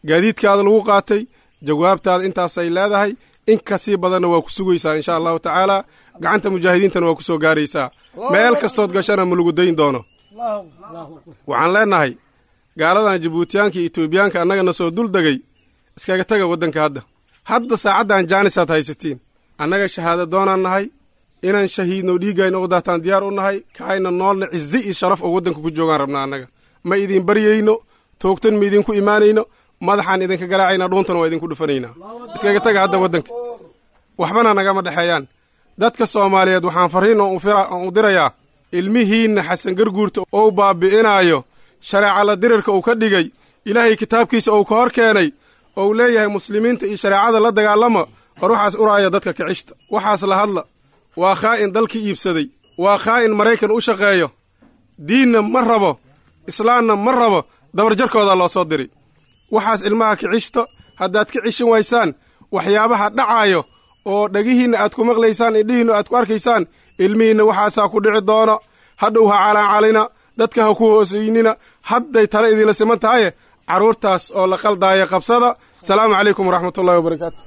gaadiidkaada lagu qaatay. Jawaabtaada intaasay leedahay, in kasii badanna waa ku sugaysaa insha allahu tacaalaa. Gacanta mujaahidiintana waa ku soo gaaraysaa, meel kastood gashana ma lagu dayn doono. Waxaan leenahay gaaladan Jabuutiyaanka iyo Etoobiyaanka annagana soo dul degay iskaga taga waddanka hadda. Hadda saacaddan jaanisaad haysatiin. Annaga shahaado doonaan nahay, inaan shahiidno dhiiggayna u daataan diyaar u nahay, kaayna noolna cizi iyo sharaf oo waddanka ku joogaan rabnaa. Annaga ma idin baryayno, toogtan ma idinku imaanayno, madaxaan idinka garaacaynaa, dhuuntana waa idinku dhufanaynaa. Iskaga taga hadda waddanka, waxbana nagama dhexeeyaan. Dadka Soomaaliyeed waxaan farriin oo u dirayaa Ilmihiinna Xasan Garguurta ou baabi'inaayo, shareeca la dirirka uu ka dhigay, Ilaahay kitaabkiisa uu ka hor keenay, ou leeyahay muslimiinta iyo shareecada la dagaalama, war waxaas uraaya dadka kicishta, waxaas la hadla. Waa khaa'in dalkii iibsaday, waa khaa'in Maraykan u shaqeeyo, diinna ma rabo, islaamna ma rabo, dabarjarkoodaa loo soo diray. Waxaas ilmaha kicishta, haddaad ka cishin waysaan waxyaabaha dhacaayo oo dhegihiinna aad ku maqlaysaan, indhihiinna aad ku arkaysaan, ilmihiinna waxaasaa ku dhici doono. Hadhow ha calaancalina, dadka ha ku hoosaynina, hadday tale idinla siman tahaye carruurtaas oo la qaldaaya qabsada. Salaamu calaykum waraxmatullahi wabarakaatu.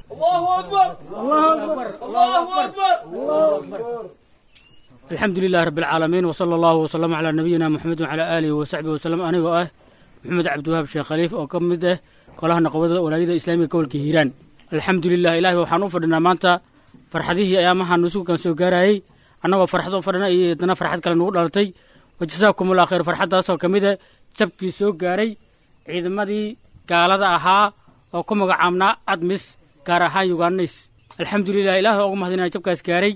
Alxamdu lilahi rabbi alcaalamiin, wsala allahu wasalama calaa nabiyina Moxamed wacalaa aalihi wasaxbihi wasalam. Anigoo ah Maxamed Cabdiwahaab Sheekh Khaliif oo ka mid ah golaha naqobada walaayada islaamiga gobolka Hiiraan. Alxamdu lilah, ilahi waxaan u fadhinaa maanta farxadihii ayaamahan nusuukan soo gaarayey, annagoo farxad u fadhina iyo haddana farxad kale nugu dhalatay. Wajasaakumullah khayr. Farxaddaasoo ka mid ah jabkii soo gaaray ciidamadii gaalada ahaa oo ku magacaabnaa ADMIS, gaar ahaan Yugaanays. Alxamdulilah, ilaah waa ugu mahadinaa jabkaas gaaray,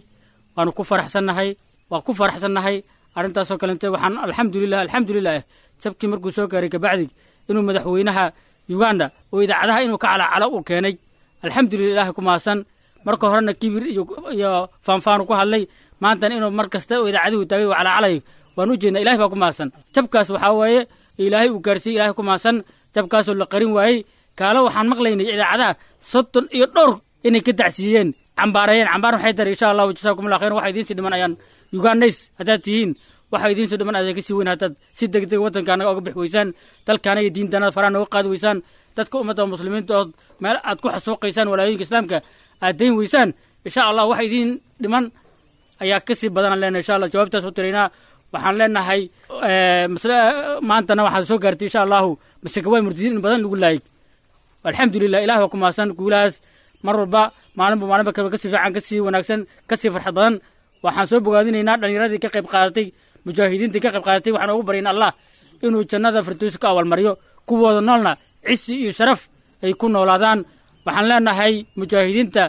waanu ku faraxsannahay, waa ku faraxsannahay arrintaasoo kalente. Waxaan alxamdulilah, alxamdulilah, jabkii markuu soo gaaray kabacdi inuu madaxweynaha Uganda oo idaacadaha inuu ka calacalo uu keenay. Alxamdulilah, ilaah ku mahadsan. Marka horena kibir iyo iyo faanfaanu ku hadlay, maantana inuu mar kasta oo idaacaduhu taagay uu calacalayo waan u jeednaa. Ilahay baa ku mahadsan. Jabkaas waxaa weeye ilaahay uu gaarsiiyey, ilahay ku mahadsan. Jabkaasoo la qarin waayey kaalo waxaan maqlaynay idaacadaha soddon iyo dhowr inay ka dacsiiyeen, cambaarayeen, cambaar waxay taray. Insha Allahu jasaakumullah khayran. Waxa idiin sii dhiman ayaan Ugandhays haddaad tihiin, waxa idiin soo dhiman ayaa kasii weyn haddaad si degdeg waddanka anaga oga bixi weysaan, dalkaana iyo diintaanada faraha nooga qaadi weysaan, dadka ummadda muslimiinta ood meel aad ku xasuuqaysaan walaayooyinka islaamka aad dayn weysaan. Insha Allah waxa idiin dhiman ayaa kasii badanaan leenahay. Insha Allah jawaabtaas u tiraynaa. Waxaan leenahay maantana waxaa soo gaartay insha Allahu masakawaay murtadiin in badan lagu laayay. Alxamdulilah, ilah waa ku mahadsan guulahaas. Mar walba maalinba maalinba kale kasii fiican, kasii wanaagsan, kasii farxad badan. Waxaan soo bogaadinaynaa dhallinyaradii ka qayb qaadatay, mujaahidiintii ka qayb qaadatay. Waxaan ugu baryayn Allah inuu jannada firdowsi ka abaalmariyo, kuwooda noolna cisi iyo sharaf ay ku noolaadaan. Waxaan leenahay mujaahidiinta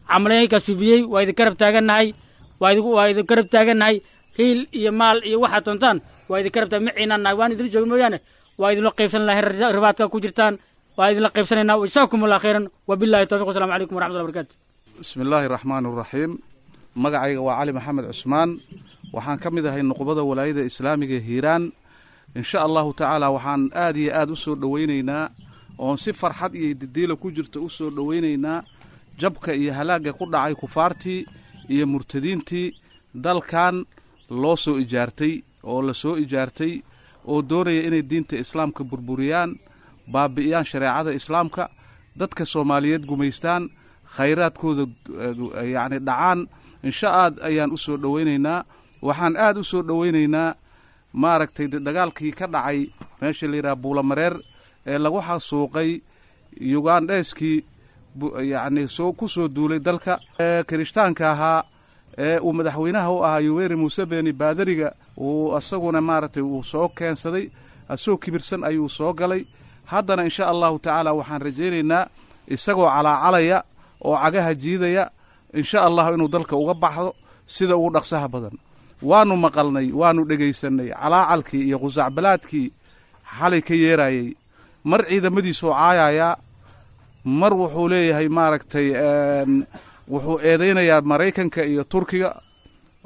camaleynka subiyey, waa idin garab taagannahay, waa idin waa idin garab taagannahay, hiil iyo maal iyo waxaad doontaan waa idin garab taag maciinaan nahay, waan idin joogin mooyaane waa idinla qaybsan lahayn. Ribaadka ku jirtaan waa idinla qaybsanaynaa. Wajazaakum allah khayran, wabillahi tawfiq, wasalamu calaykum waraxmatullahi wabarakatu. Bismi illaahi raxmaani raxiim. Magacayga waa Cali Maxamed Cusmaan, waxaan ka mid ahay nuqbada walaayada islaamiga Hiiraan. Insha Allahu tacaala waxaan aad iyo aad u soo dhoweynaynaa oon si farxad iyo didiila ku jirta u soo dhoweynaynaa jabka iyo halaagga ku dhacay kufaartii iyo murtadiintii dalkan loo soo ijaartay oo la soo ijaartay oo doonaya inay diinta islaamka burburiyaan, baabi'iyaan shareecada islaamka, dadka Soomaaliyeed gumaystaan, khayraadkooda yacni dhacaan. Insha aad ayaan u soo dhoweynaynaa. Waxaan aad u soo dhoweynaynaa maaragtay dagaalkii ka dhacay meesha la yidhaha Buulamareer ee lagu xasuuqay Yugandheyskii yacni soo ku soo duulay dalka kirishtaanka ahaa ee uu madaxweynaha u ahaa Yoweri Museveni, baadariga uu asaguna maaragtay uu soo keensaday, asagoo kibirsan ayuu soo galay. Haddana insha Allahu tacaala waxaan rajaynaynaa isagoo calaacalaya oo cagaha jiidaya insha Allahu inuu dalka uga baxdo sida ugu dhaqsaha badan. Waanu maqalnay, waanu dhegaysanay calaacalkii iyo qusacbalaadkii xalay ka yeerayey. Mar ciidamadiisuu caayayaa, mar wuxuu leeyahay maaragtay wuxuu eedaynayaa Maraykanka iyo Turkiga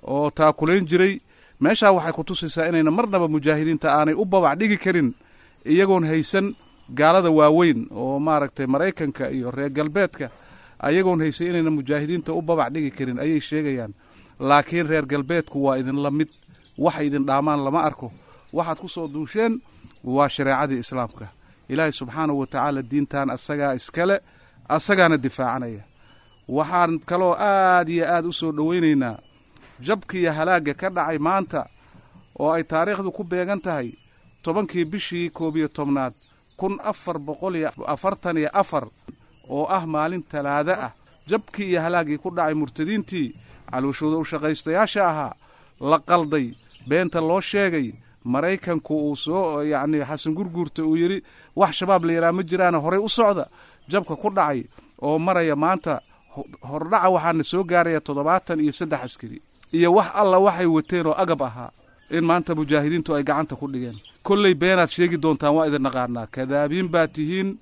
oo taakulayn jiray. Meeshaa waxay ku tusaysaa inayna marnaba mujaahidiinta aanay u babac dhigi karin iyagoon haysan gaalada waaweyn oo maaragtay Maraykanka iyo reer galbeedka, ayagoon haysan inayna mujaahidiinta u babac dhigi karin ayay sheegayaan. Laakiin reer galbeedku waa idinla mid, waxay idin dhaamaan lama arko. Waxaad ku soo duusheen waa shareecadii islaamka. Ilaahay subxaanahu wa tacaala diintan asagaa iskale, asagaana difaacanaya. Waxaan kaloo aad iyo aad u soo dhoweynaynaa jabka iyo halaagga ka dhacay maanta oo ay taariikhdu ku beegan tahay tobankii bishii koob iyo tobnaad kun afar boqol iyo afartan iyo afar oo ah maalin talaado ah. Jabkii iyo halaaggii ku dhacay murtadiintii calooshooda u shaqaystayaasha ahaa, la qalday, beenta loo sheegay, Maraykanku uu soo yacni Xasan Gurguurta uu yidhi wax Shabaab la yidhaha ma jiraana horey u socda, jabka ku dhacay oo maraya maanta hordhaca waxaana soo gaaraya toddobaatan iyo saddex askari iyo wax alla waxay wateen oo agab ahaa. In maanta mujaahidiintu ay gacanta ku dhigeen. Kolley beenaad sheegi doontaan, waa idin naqaanaa, kadaabiin baa tihiin.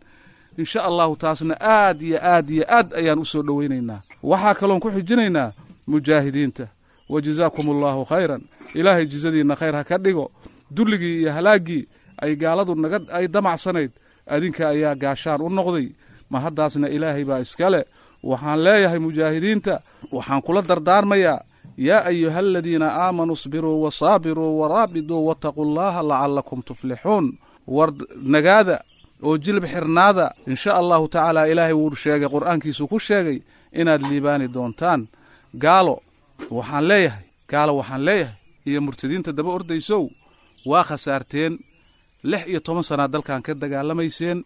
Insha allahu taasna aad iyo aad iyo aad ayaan u soo dhowaynaynaa. Waxaa kaloon ku xijinaynaa mujaahidiinta, wa jazaakum allaahu khayran, ilaahay jizadiinna khayr ha ka dhigo. Dulligii iyo halaaggii ay gaaladu naga ay damacsanayd adinka ayaa gaashaan u noqday, ma haddaasna ilaahay baa iskale. Waxaan leeyahay mujaahidiinta, waxaan kula dardaarmayaa: yaa ayuha aladiina aamanuu isbiruu wasaabiruu waraabiduu wataquu allaha lacalakum tuflixuun. War nagaada oo jilib xirnaada, insha allahu tacaala ilaahay wuu sheegay, qur'aankiisuu ku sheegay inaad liibaani doontaan. Gaalo waxaan leeyahay, gaalo waxaan leeyahay iyo murtadiinta daba ordaysow, waa khasaarteen. Lix iyo toban sanaa dalkan ka dagaalamayseen,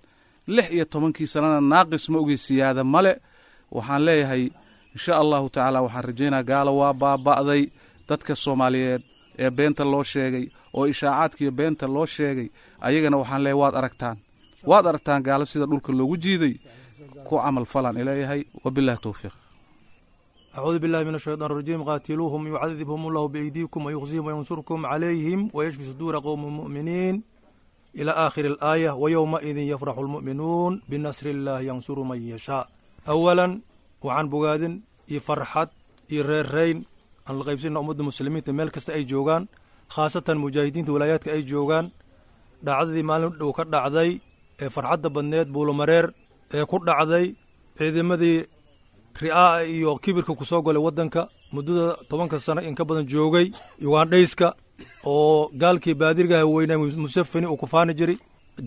lix iyo tobankii sanana naaqis ma ogey, siyaada male. Waxaan leeyahay insha allahu tacaala waxaan rajaynaa gaalo waa baaba'day. Dadka soomaaliyeed ee beenta loo sheegay oo ishaacaadkiiyo beenta loo sheegay, ayagana waxaan leeyahay waad aragtaan, waad aragtaan gaalo sida dhulka loogu jiiday. Ku camal falaan ileeyahay. Wabillahi towfiiq. أعوذ بالله من الشيطان الرجيم. قاتلوهم يعذبهم الله بأيديكم ويخزيهم وينصركم عليهم ويشفي صدور قوم مؤمنين، إلى آخر الآية. ويومئذ يفرح المؤمنون بنصر الله ينصر من يشاء. أولا وعن بوغادن يفرحت يريرين أن القيبسين أمد المسلمين meel kasta ay joogaan, khaasatan mujaahidiinta walaayaadka ay joogaan, dhacdadii maalin dhow ka dhacday ee farxadda badneed Buulomareer ee ku dhacday ciidamadii ri'aa'a iyo kibirka ku soo galay waddanka muddada tobanka sano in ka badan joogay, Ugandhayska oo gaalkii baadirgaha weynaa Musafini uu ku faani jiray,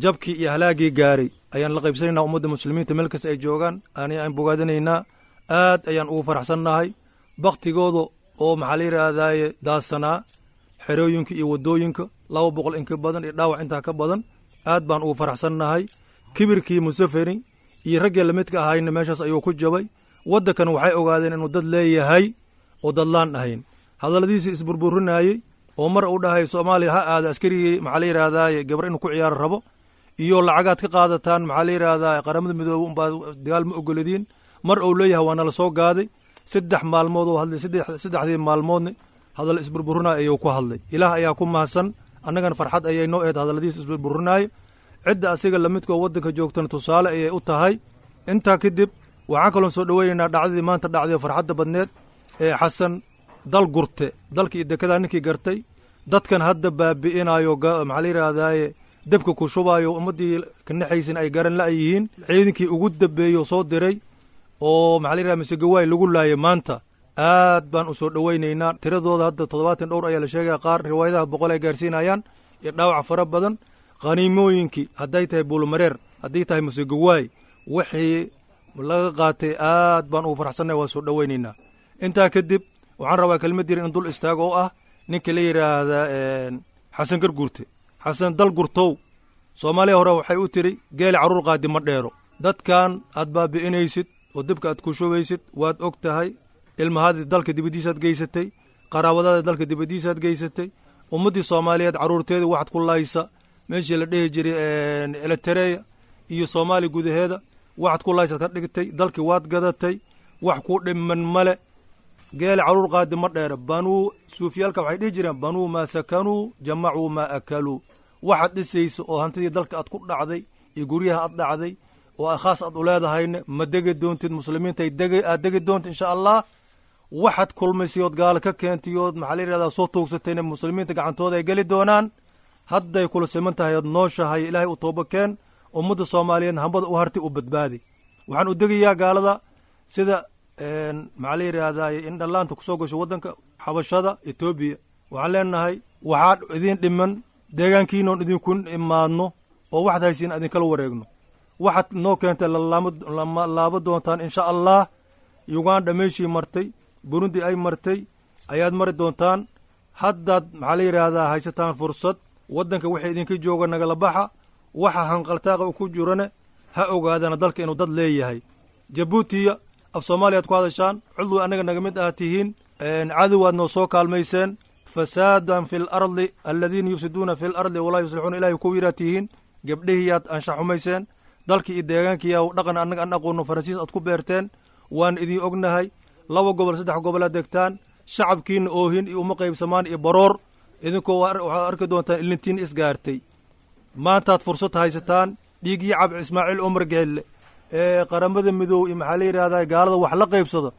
jabkii iyo halaagii gaaray ayaan la qaybsanaynaa ummadda muslimiinta meel kasta ay joogaan. Ani aan bogaadinaynaa, aad ayaan ugu faraxsannahay baktigooda oo maxaa la yidhaahdaaye daadsanaa xerooyinka iyo waddooyinka, laba boqol in ka badan iyo dhaawac intaa ka badan. Aad baan ugu faraxsannahay kibirkii Musafini iyo raggii lamidka ahayna meeshaas ayuu ku jabay. Waddankan waxay ogaadeen inuu dad leeyahay oo dadlaan ahayn. Hadalladiisii isburburinayey oo mar uu dhahay Soomaaliya ha aada askarigii maxaa la yidhaahdaaye gabar inuu ku ciyaaro rabo iyo lacagaad ka qaadataan maxaa la yidhaahdaa Qaramada Midoobe unbaa dagaal ma ogoladiin, mar uu leeyahay waa nala soo gaaday. Saddex maalmood oo hadlay, saddexdii maalmoodna hadal isburburinaya ayuu ku hadlay. Ilaah ayaa ku mahadsan, annagana farxad ayay noo eed hadalladiisa isburburinaayo. Cidda asiga lamidkoo waddanka joogtana tusaale ayay u tahay. Intaa kadib waxaan kaloon soo dhoweynaynaa dhacdadii maanta dhacday oo farxadda badneed ee Xasan dal gurte, dalka iyo dekedaa ninkii gartay, dadkan hadda baabi'inayo maxaa la yidhaahdaaye debka ku shubaayo, ummaddii ka naxaysin ay garan la'yihiin, ciidankii ugu dambeeyo soo diray oo maxaa la yidhahda Misegawaay lagu laayay maanta. Aad baan u soo dhoweynaynaa. Tiradooda hadda toddobaatan dhowr ayaa la sheegaya, qaar riwaayadaha boqol ay gaarsiinayaan, iyo dhaawac fara badan. Khaniimooyinkii hadday tahay Buulumareer, hadday tahay Misegawaay, wixii laga qaatay aad baan ugu faraxsannahay, waa soo dhoweynaynaa. Intaa kadib waxaan rabaa kelmad yar in dul istaago oo ah ninka la yidhaahda Xasan Garguurte. Xasan dal gurtow, Soomaaliya hore waxay u tiri geeli carruur qaadi ma dheero. Dadkan aad baabi'inaysid oo dibka aad ku shubaysid waad og tahay. Ilmahaadii dalka dibaddiisaad geysatay, qaraabadaada dalka dibaddiisaad geysatay, ummaddii soomaaliyeed carruurteeda waxaad ku laysa meeshii la dhehi jiray Elitereya iyo Soomaaliya gudaheeda waxaad ku laysaad ka dhigtay. Dalkii waad gadatay, wax ku dhiman male. Geeli carruur qaadi ma dheera. Banuu suufiyaalka waxay dhihi jireen: banuu maa sakanuu jamacuu maa akaluu. Waxaad dhisaysa oo hantidii dalka aad ku dhacday iyo guryaha aad dhacday oo khaas aad u leedahayna ma degi doontid, muslimiintay deg aad degi doonta insha allah. Waxaad kulmaysay ood gaalo ka keentay ood maxaa la yidhahdaa soo tuugsatayna muslimiinta gacantooda ay geli doonaan. Hadday kula siman tahay ood nooshahay, ilaahay u tooba keen. Ummadda soomaaliyeed hambada u hartay u badbaadi. Waxaan u degayaa gaalada sida maxaa la yidhaahdaa in dhallaanta kusoo gasho waddanka xabashada Etoobiya. Waxaan leenahay waxaa idin dhiman deegaankiinoon idinku imaadno oo waxaad haysiin idinkala wareegno. Waxaad noo keentay lama laaba doontaan insha allah. Uganda meeshii martay, Burundi ay martay ayaad mari doontaan. Haddaad maxaa la yidhaahdaa haysataan fursad. Waddanka wixii idinka jooga nagala baxa, waxa hanqaltaaqa ku jirane ha ogaadana dalka inuu dad leeyahay. Jabuutiya af Soomaaliyaad ku hadashaan, cudwi annaga naga mid aad tihiin, cadowaad noo soo kaalmayseen. Fasaadan fi lardi aladiina yufsiduuna fi lardi walaa yuslixuuna, ilahay ku yidhaa tihiin. Gabdhihiyaad anshax xumayseen, dalkii iyo deegaankiiyaa dhaqan annaga an aqoonno Faransiis aad ku beerteen, waan idin ognahay. Laba gobol saddex gobolaad degtaan, shacabkiina oohin iyo uma qaybsamaan iyo baroor. Idinkoo waxaad arki doontaan ilintiin isgaartay. Maantaad fursad haysataan dhiiggii cab Ismaaciil Cumar Geelle ee Qaramada Midoob iyo maxaa la yidhahdaa gaalada wax la qaybsado,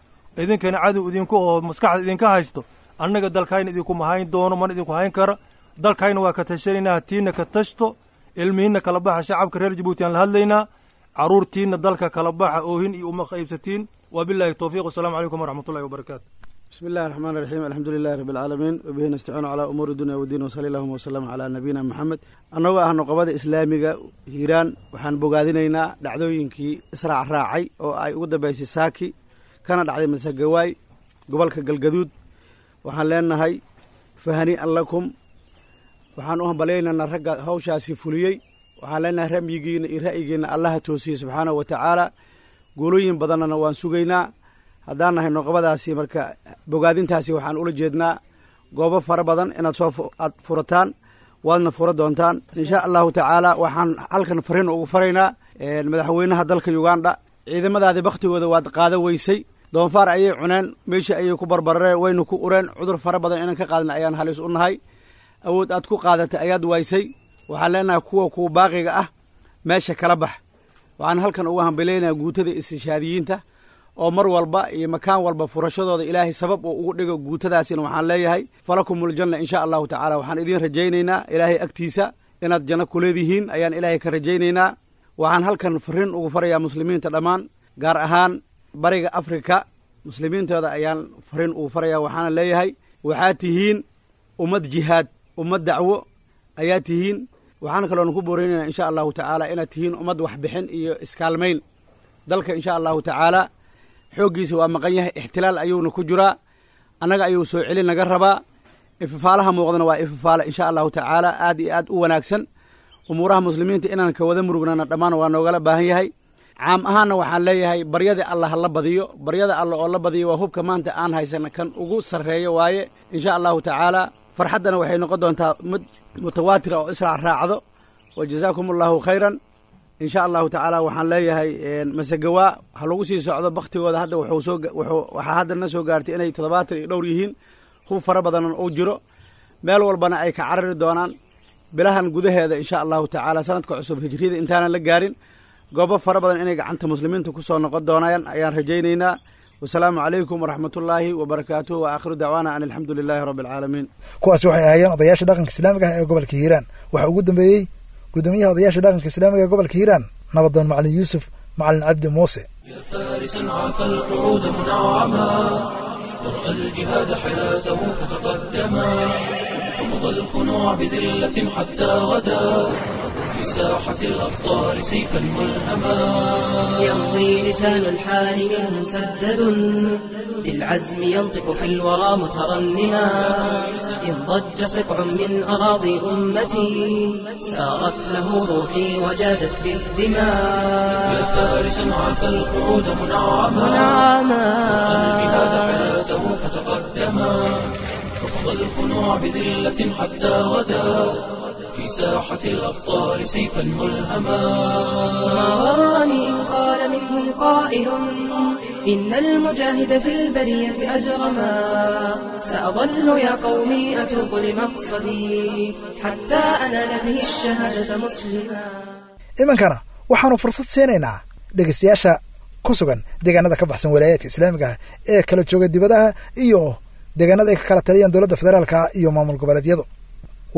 idinkana cadow idinku oo maskaxda idinka haysto. Annaga dalkayna idinkuma hayn doono, mana idinku hayn kara. Dalkayna waa ka tashanaynaa, tiina ka tashto, ilmihiinna kala baxa. Shacabka reer Jabuuti aan la hadlaynaa, carruurtiinna dalka kala baxa, oohin iyo uma qaybsatiin. Wabillahi towfiiq, wasalaamu calaykum waraxmatullahi wabarakaatu. بسم الله الرحمن الرحيم، الحمد لله رب العالمين، وبه نستعين على أمور الدنيا والدين، وصلى اللهم وسلم على نبينا محمد. Annagoo ah nuqabada islaamiga Hiiraan, waxaan bogaadinaynaa dhacdooyinkii israac raacay oo ay ugu dambeysay Saaki kana dhacday Masagawaay, gobolka Galgaduud. Waxaan leenahay fahanii'an lakum. Waxaan u hambalyaynaynaa ragga hawshaasi fuliyey. Waxaan leenahay ramyigiina iyo ra'yigiina Allaha toosiyey subxaanahu wa tacaala. Guulooyin badannana waan sugaynaa haddaan nahay nuqabadaasi. Marka bogaadintaasi waxaan ula jeednaa goobo fara badan inaad soo aad furataan, waadna fura doontaan insha Allahu tacaala. Waxaan halkan fariin ugu faraynaa madaxweynaha dalka Uganda: ciidamadaadi bakhtigooda waad qaada weysay, doonfaar ayay cuneen, meeshii ayay ku barbarareen, wayna ku ureen. Cudur fara badan inaan ka qaadna ayaan halis u nahay. Awood aad ku qaadatay ayaad waysay. Waxaan leenahay kuwa kuwa baaqiga ah meesha kala bax. Waxaan halkan ugu hambaleynayaa guutada istishaadiyiinta oo mar walba iyo makaan walba furashadooda Ilaahay sabab uu ugu dhigo. Guutadaasina waxaan leeyahay falakumul janna insha Allahu tacaala. Waxaan idiin rajaynaynaa Ilaahay agtiisa inaad janno ku leedihiin ayaan Ilaahay ka rajaynaynaa. Waxaan halkan fariin ugu farayaa muslimiinta dhammaan, gaar ahaan Bariga Afrika muslimiintooda ayaan fariin ugu farayaa. Waxaana leeyahay waxaad tihiin ummad jihaad, ummad dacwo ayaa tihiin. Waxaan kaloona ku booreynaynaa insha Allahu tacaala inaad tihiin ummad waxbixin iyo iskaalmayn. Dalka insha Allahu tacaala xooggiisa waa maqan yahay, ixtilaal ayuuna ku jiraa, annaga ayuu soo celin naga rabaa. Ifafaalaha muuqdana waa ifafaale insha Allahu tacaala aad iyo aad u wanaagsan. Umuuraha muslimiinta inaan ka wada murugnana dhammaan waa noogala baahan yahay. Caam ahaanna waxaan leeyahay baryada Alla ha la badiyo. Baryada Alla oo la badiyo waa hubka maanta aan haysana kan ugu sarreeyo waaye insha Allahu tacaala. Farxaddana waxay noqon doontaa mid mutawaatira oo israac raacdo. Wa jazaakum Allahu khayran insha Allahu tacaala. Waxaan leeyahay Masagawaa ha lagu sii socdo. Baktigooda hadda wuxuu soo wuxuu waxaa hadda na soo gaartay inay toddobaatan iyo dhowr yihiin, hub fara badan uu jiro, meel walbana ay ka carari doonaan bilahan gudaheeda insha Allahu tacaala. Sanadka cusub hijriyada intaanan la gaarin goobo fara badan inay gacanta muslimiinta ku soo noqon doonayaan ayaan rajaynaynaa. Wasalaamu calaykum waraxmatullaahi wabarakaatuh, wa aakhiru dacwaana an alxamdu lilaahi rabbi alcaalamiin. Kuwaasi waxay ahaayeen odayaasha dhaqanka islaamiga ah ee gobolka Hiiraan. Waxaa ugu dambeeyey guddoomiyaha odayaasha dhaqanka islaamiga ee gobolka Hiiraan, nabadoon Macalin Yuusuf Macalin Cabdi Muuse. فارسا عفى القعود منعما، ورأى الجهاد حياته فتقدما، رفض الخنوع بذلة حتى غدا في ساحة الأبطال سيفا ملهما. يمضي لسان الحال منه مسدد بالعزم، ينطق في الورى مترنما. إن ضج سقع من أراضي أمتي سارت له روحي وجادت بالدماء. يا فارسا عفى القعود منعما، منعما. الجهاد حياته فتقدما، رفض الخنوع بذلة حتى غدا في ساحة الأبطال سيفا ملهما. ما غرني إن قال منهم قائل إن المجاهد في البرية أجرما. سأظل يا قومي أتوق لمقصدي حتى أنال به الشهادة مسلما. Imankana waxaanu fursad siinaynaa dhegeystayaasha ku sugan deegaanada ka baxsan walaayaadka islaamiga ah ee kala jooga dibadaha iyo deegaanada ay ka kala taliyaan dowladda federaalka iyo maamul goboleedyadu.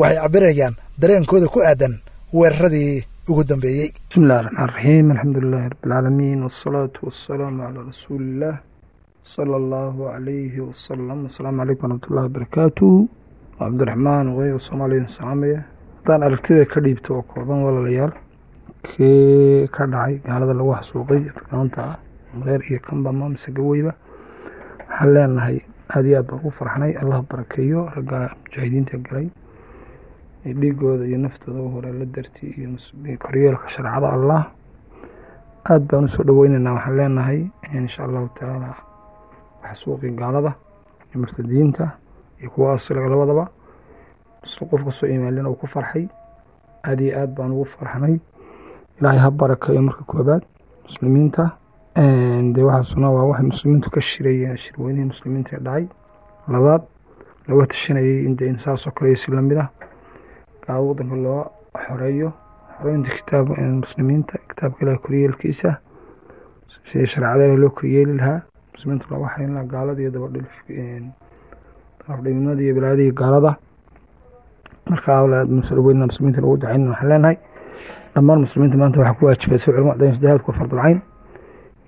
Waxay cabirayaan dareenkooda ku aadan weeraradii ugu dambeeyey. بسم الله الرحمن الرحيم، الحمد لله رب العالمين، والصلاة والسلام على رسول الله صلى الله عليه وسلم. السلام عليكم ورحمة الله وبركاته. عبد الرحمن وغير الصومالي saamaya haddaan aragtida ka dhiibto oo kooban, walaalayaal, kii ka dhacay gaalada lagu xasuuqay Afrikaanta ah Mareer iyo Kambama mise Gaweyba, waxaan leenahay aad iyo aad baan ugu farxnay. Allah barakeeyo ragga mujaahidiinta galay ee dhiigooda iyo naftooda u hore la darti iyo koryeelka shareecada Allah. Aad baan usoo dhaweynaynaa. Waxaan leenahay insha Allahu tacaala xasuuqii gaalada iyo murtadiinta iyo kuwa asliga labadaba isla qof kasoo iimaalin uu ku farxay, aad iyo aad baan ugu farxnay. Ilaahay ha barakeeyo marka koobaad muslimiinta. Dee waxaasuna waa waxay muslimiintu ka shirayeen shirweynihii muslimiinta ee dhacay. Labaad, Looga tashanayay in dee in saas oo kale iyo si lamid ah gaalada wadanka loo xoreeyo, xoreynta kitaab muslimiinta, kitaabka Ilaah koryeelkiisa, sidii shareecada Ilaah loo koryeeli lahaa, muslimiinta looga xareyn lahaa gaalada iyo dabadhilif dabadhilnimada iyo balaayada iyo gaalada. Marka awlaad muslimiinta muslimiinta lagu dacayn, waxaan leenahay dhammaan muslimiinta maanta waxaa ku waajibay si culimo caddayn jihaadku waa fardul cayn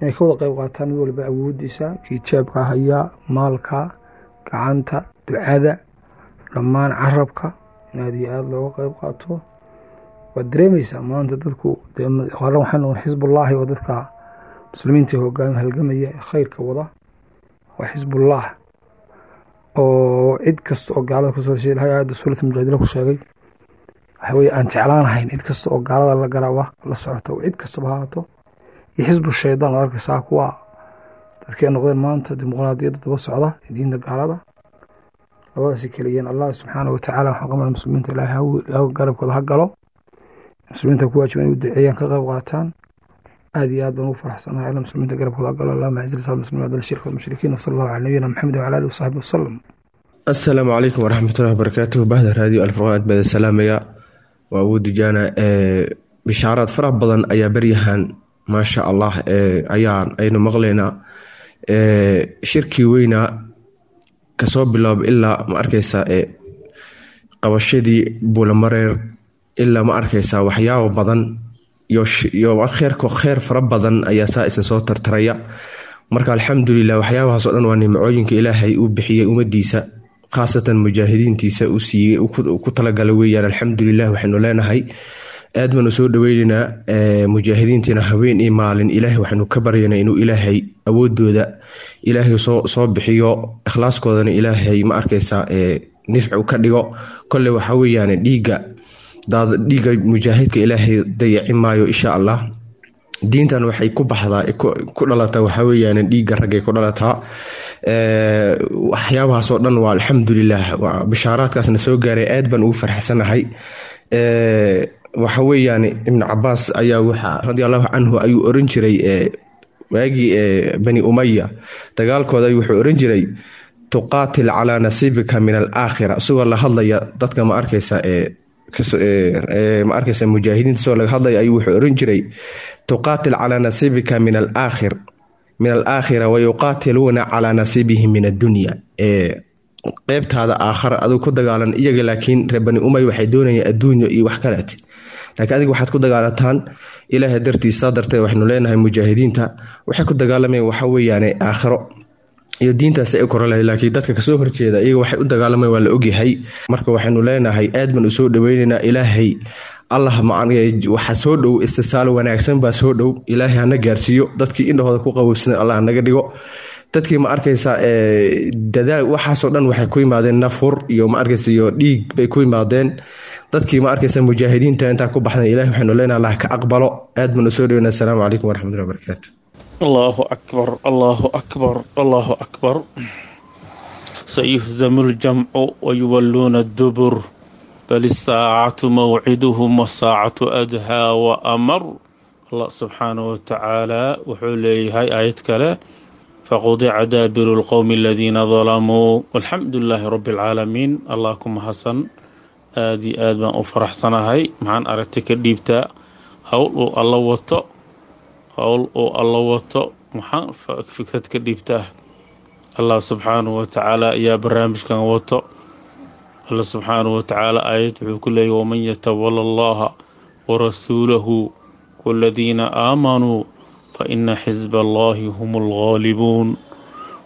inay ka wada qayb qaataan, mid walba awoodiisa, kii jeebka haya, maalka, gacanta, ducada, dhammaan carabka in aad iyo aada looga qayb qaato. Waad dareemeysaa maanta dadku qaran waxay noqon xisbullaahi oo dadka muslimiinta hogaami halgamaya ee khayrka wada waa xisbullah, oo cid kasta oo gaalada kusoo heshay Ilahay aayadda suurata Mujaadila ku sheegay waxa weeye aan jeclaanahayn cid kasta oo gaalada la garaba la socota, oo cid kastaba ha ahaato, iyo xisbu shaydaan oo arkaysaa kuwa dadkii ay noqdeen maanta dimuqraadiyadda daba socda diinta gaalada, labadaasi keliyeen. Allah subxaana watacaala waxaan qabnaa muslimiinta Ilaahay ha garabkooda ha galo, muslimiinta ku waajiba inay u duceeyaan, ka qayb qaataan. Aad iyo aad baan ugu faraxsanahay alla muslimiinta garabkooda ha galo. Allahuma aciz lislam muslimiin adal shirka walmushrikiin, wasala allahu cala nabiyina Maxamed wacala alihi wasaxbi wasalam. Asalaamu calaykum waraxmatullahi wabarakaatuh. Bahda Raadiyo Alfurqaan aad baa salaamaya. Waa Abu Dujaana. Bishaaraad fara badan ayaa beryahan maasha Allah ayaan aynu maqlaynaa. Shirkii weynaa kasoo bilaab ilaa ma arkaysaa qabashadii Buulamareer, ilaa ma arkaysaa waxyaabo badan iyo kheerko kheer fara badan ayaa saa isa soo tartaraya. Marka alxamdulilah, waxyaabahaas oo dhan waa nimcooyinka Ilaahay uu bixiyey ummadiisa, khaasatan mujaahidiintiisa uu siiyey ku talagalay weeyaan. Alxamdulilah, waxaynu leenahay aad baanu soo dhaweyneynaa mujaahidiintiina habeen iyo maalin. Ilaahay waxaynu ka baryaynaa inuu Ilaahay awoodooda Ilaahay soo soo bixiyo, ikhlaaskoodana Ilaahay ma arkaysaa nifci ka dhigo. Kolley waxa weeyaan dhiigga dhiigga mujaahidka Ilaahay dayaci maayo insha Allah. Diintan waxay ku baxdaa, ku dhalataa waxa weeyaan dhiigga raggay ku dhalataa. Waxyaabahaas oo dhan waa alxamdulilah, bishaaraadkaasna soo gaaray aad baan ugu farxsanahay. Waxa weeyaan Ibnu Cabaas ayaa waxa radi allahu canhu ayuu oran jiray waagii Bani Umaya dagaalkooda, wuxuu oran jiray tuqaatil calaa nasiibika min alaakhira, isagoo la hadlaya dadka ma arkaysa ee ma arkaysa mujaahidiinta soo laga hadlaya ayuu wuxuu oran jiray tuqaatil calaa nasiibika min alaakhir min alaakhira wayuqaatiluuna calaa nasiibihim min addunya. Ee qeybtaada aakhara aduu ku dagaalan iyaga, laakiin reer Bani Umay waxay doonayaan adduunyo iyo wax kaleet, laakiin adiga waxaad ku dagaalataan Ilaahay dartiisa. Darteed waxaynu leenahay mujaahidiinta waxay ku dagaalamayaan waxa weeyaane aakhiro iyo diintaas ay u koran lahayd, laakiin dadka kasoo horjeeda iyaga waxay u dagaalamayaan waa la ogyahay. Marka waxaynu leenahay aad baan usoo dhaweyneynaa. Ilaahay Allah waxa soo dhow istisaal wanaagsan baa soo dhow, Ilaahay hana gaarsiiyo. Dadkii indhahooda ku qabowsan Allah naga dhigo. Dadkii ma arkaysa dadaal waxaasoo dhan waxay ku yimaadeen nafhur iyo ma arkaysa iyo dhiig bay ku yimaadeen. Dadkii ma arkaysa mujaahidiinta intaa ku baxdan Ilahay waxaynu leenahay Allah ka aqbalo. Aad baan usoo dhaweynaa. Asalaamu calaykum waraxmatullahi wabarakaatu. Allahu akbar, Allahu akbar, Allahu akbar. Sayuhzamu ljamcu wayuwalluuna dubur, bal isaacatu mawciduhum wasaacatu adhaa wa amar. Allah subxaanahu watacaala wuxuu leeyahay aayad kale faqudica daabiru lqowmi aladiina dalamuu, walxamdu lilaahi rabbi alcaalamiin. Allah ku mahadsan, aad iyo aad baan u faraxsanahay. Maxaan aragti ka dhiibtaa howl uu alla wato, howl uu alla wato maxaan fikrad ka dhiibtaa? Allah subxaanahu watacaala ayaa barnaamijkan wato. Allah subxaanahu watacaala aayad wuxuu ku leeyahy waman yatawala allaha warasuulahu waladiina aamanuu fa ina xisba allahi hum alghaalibuun.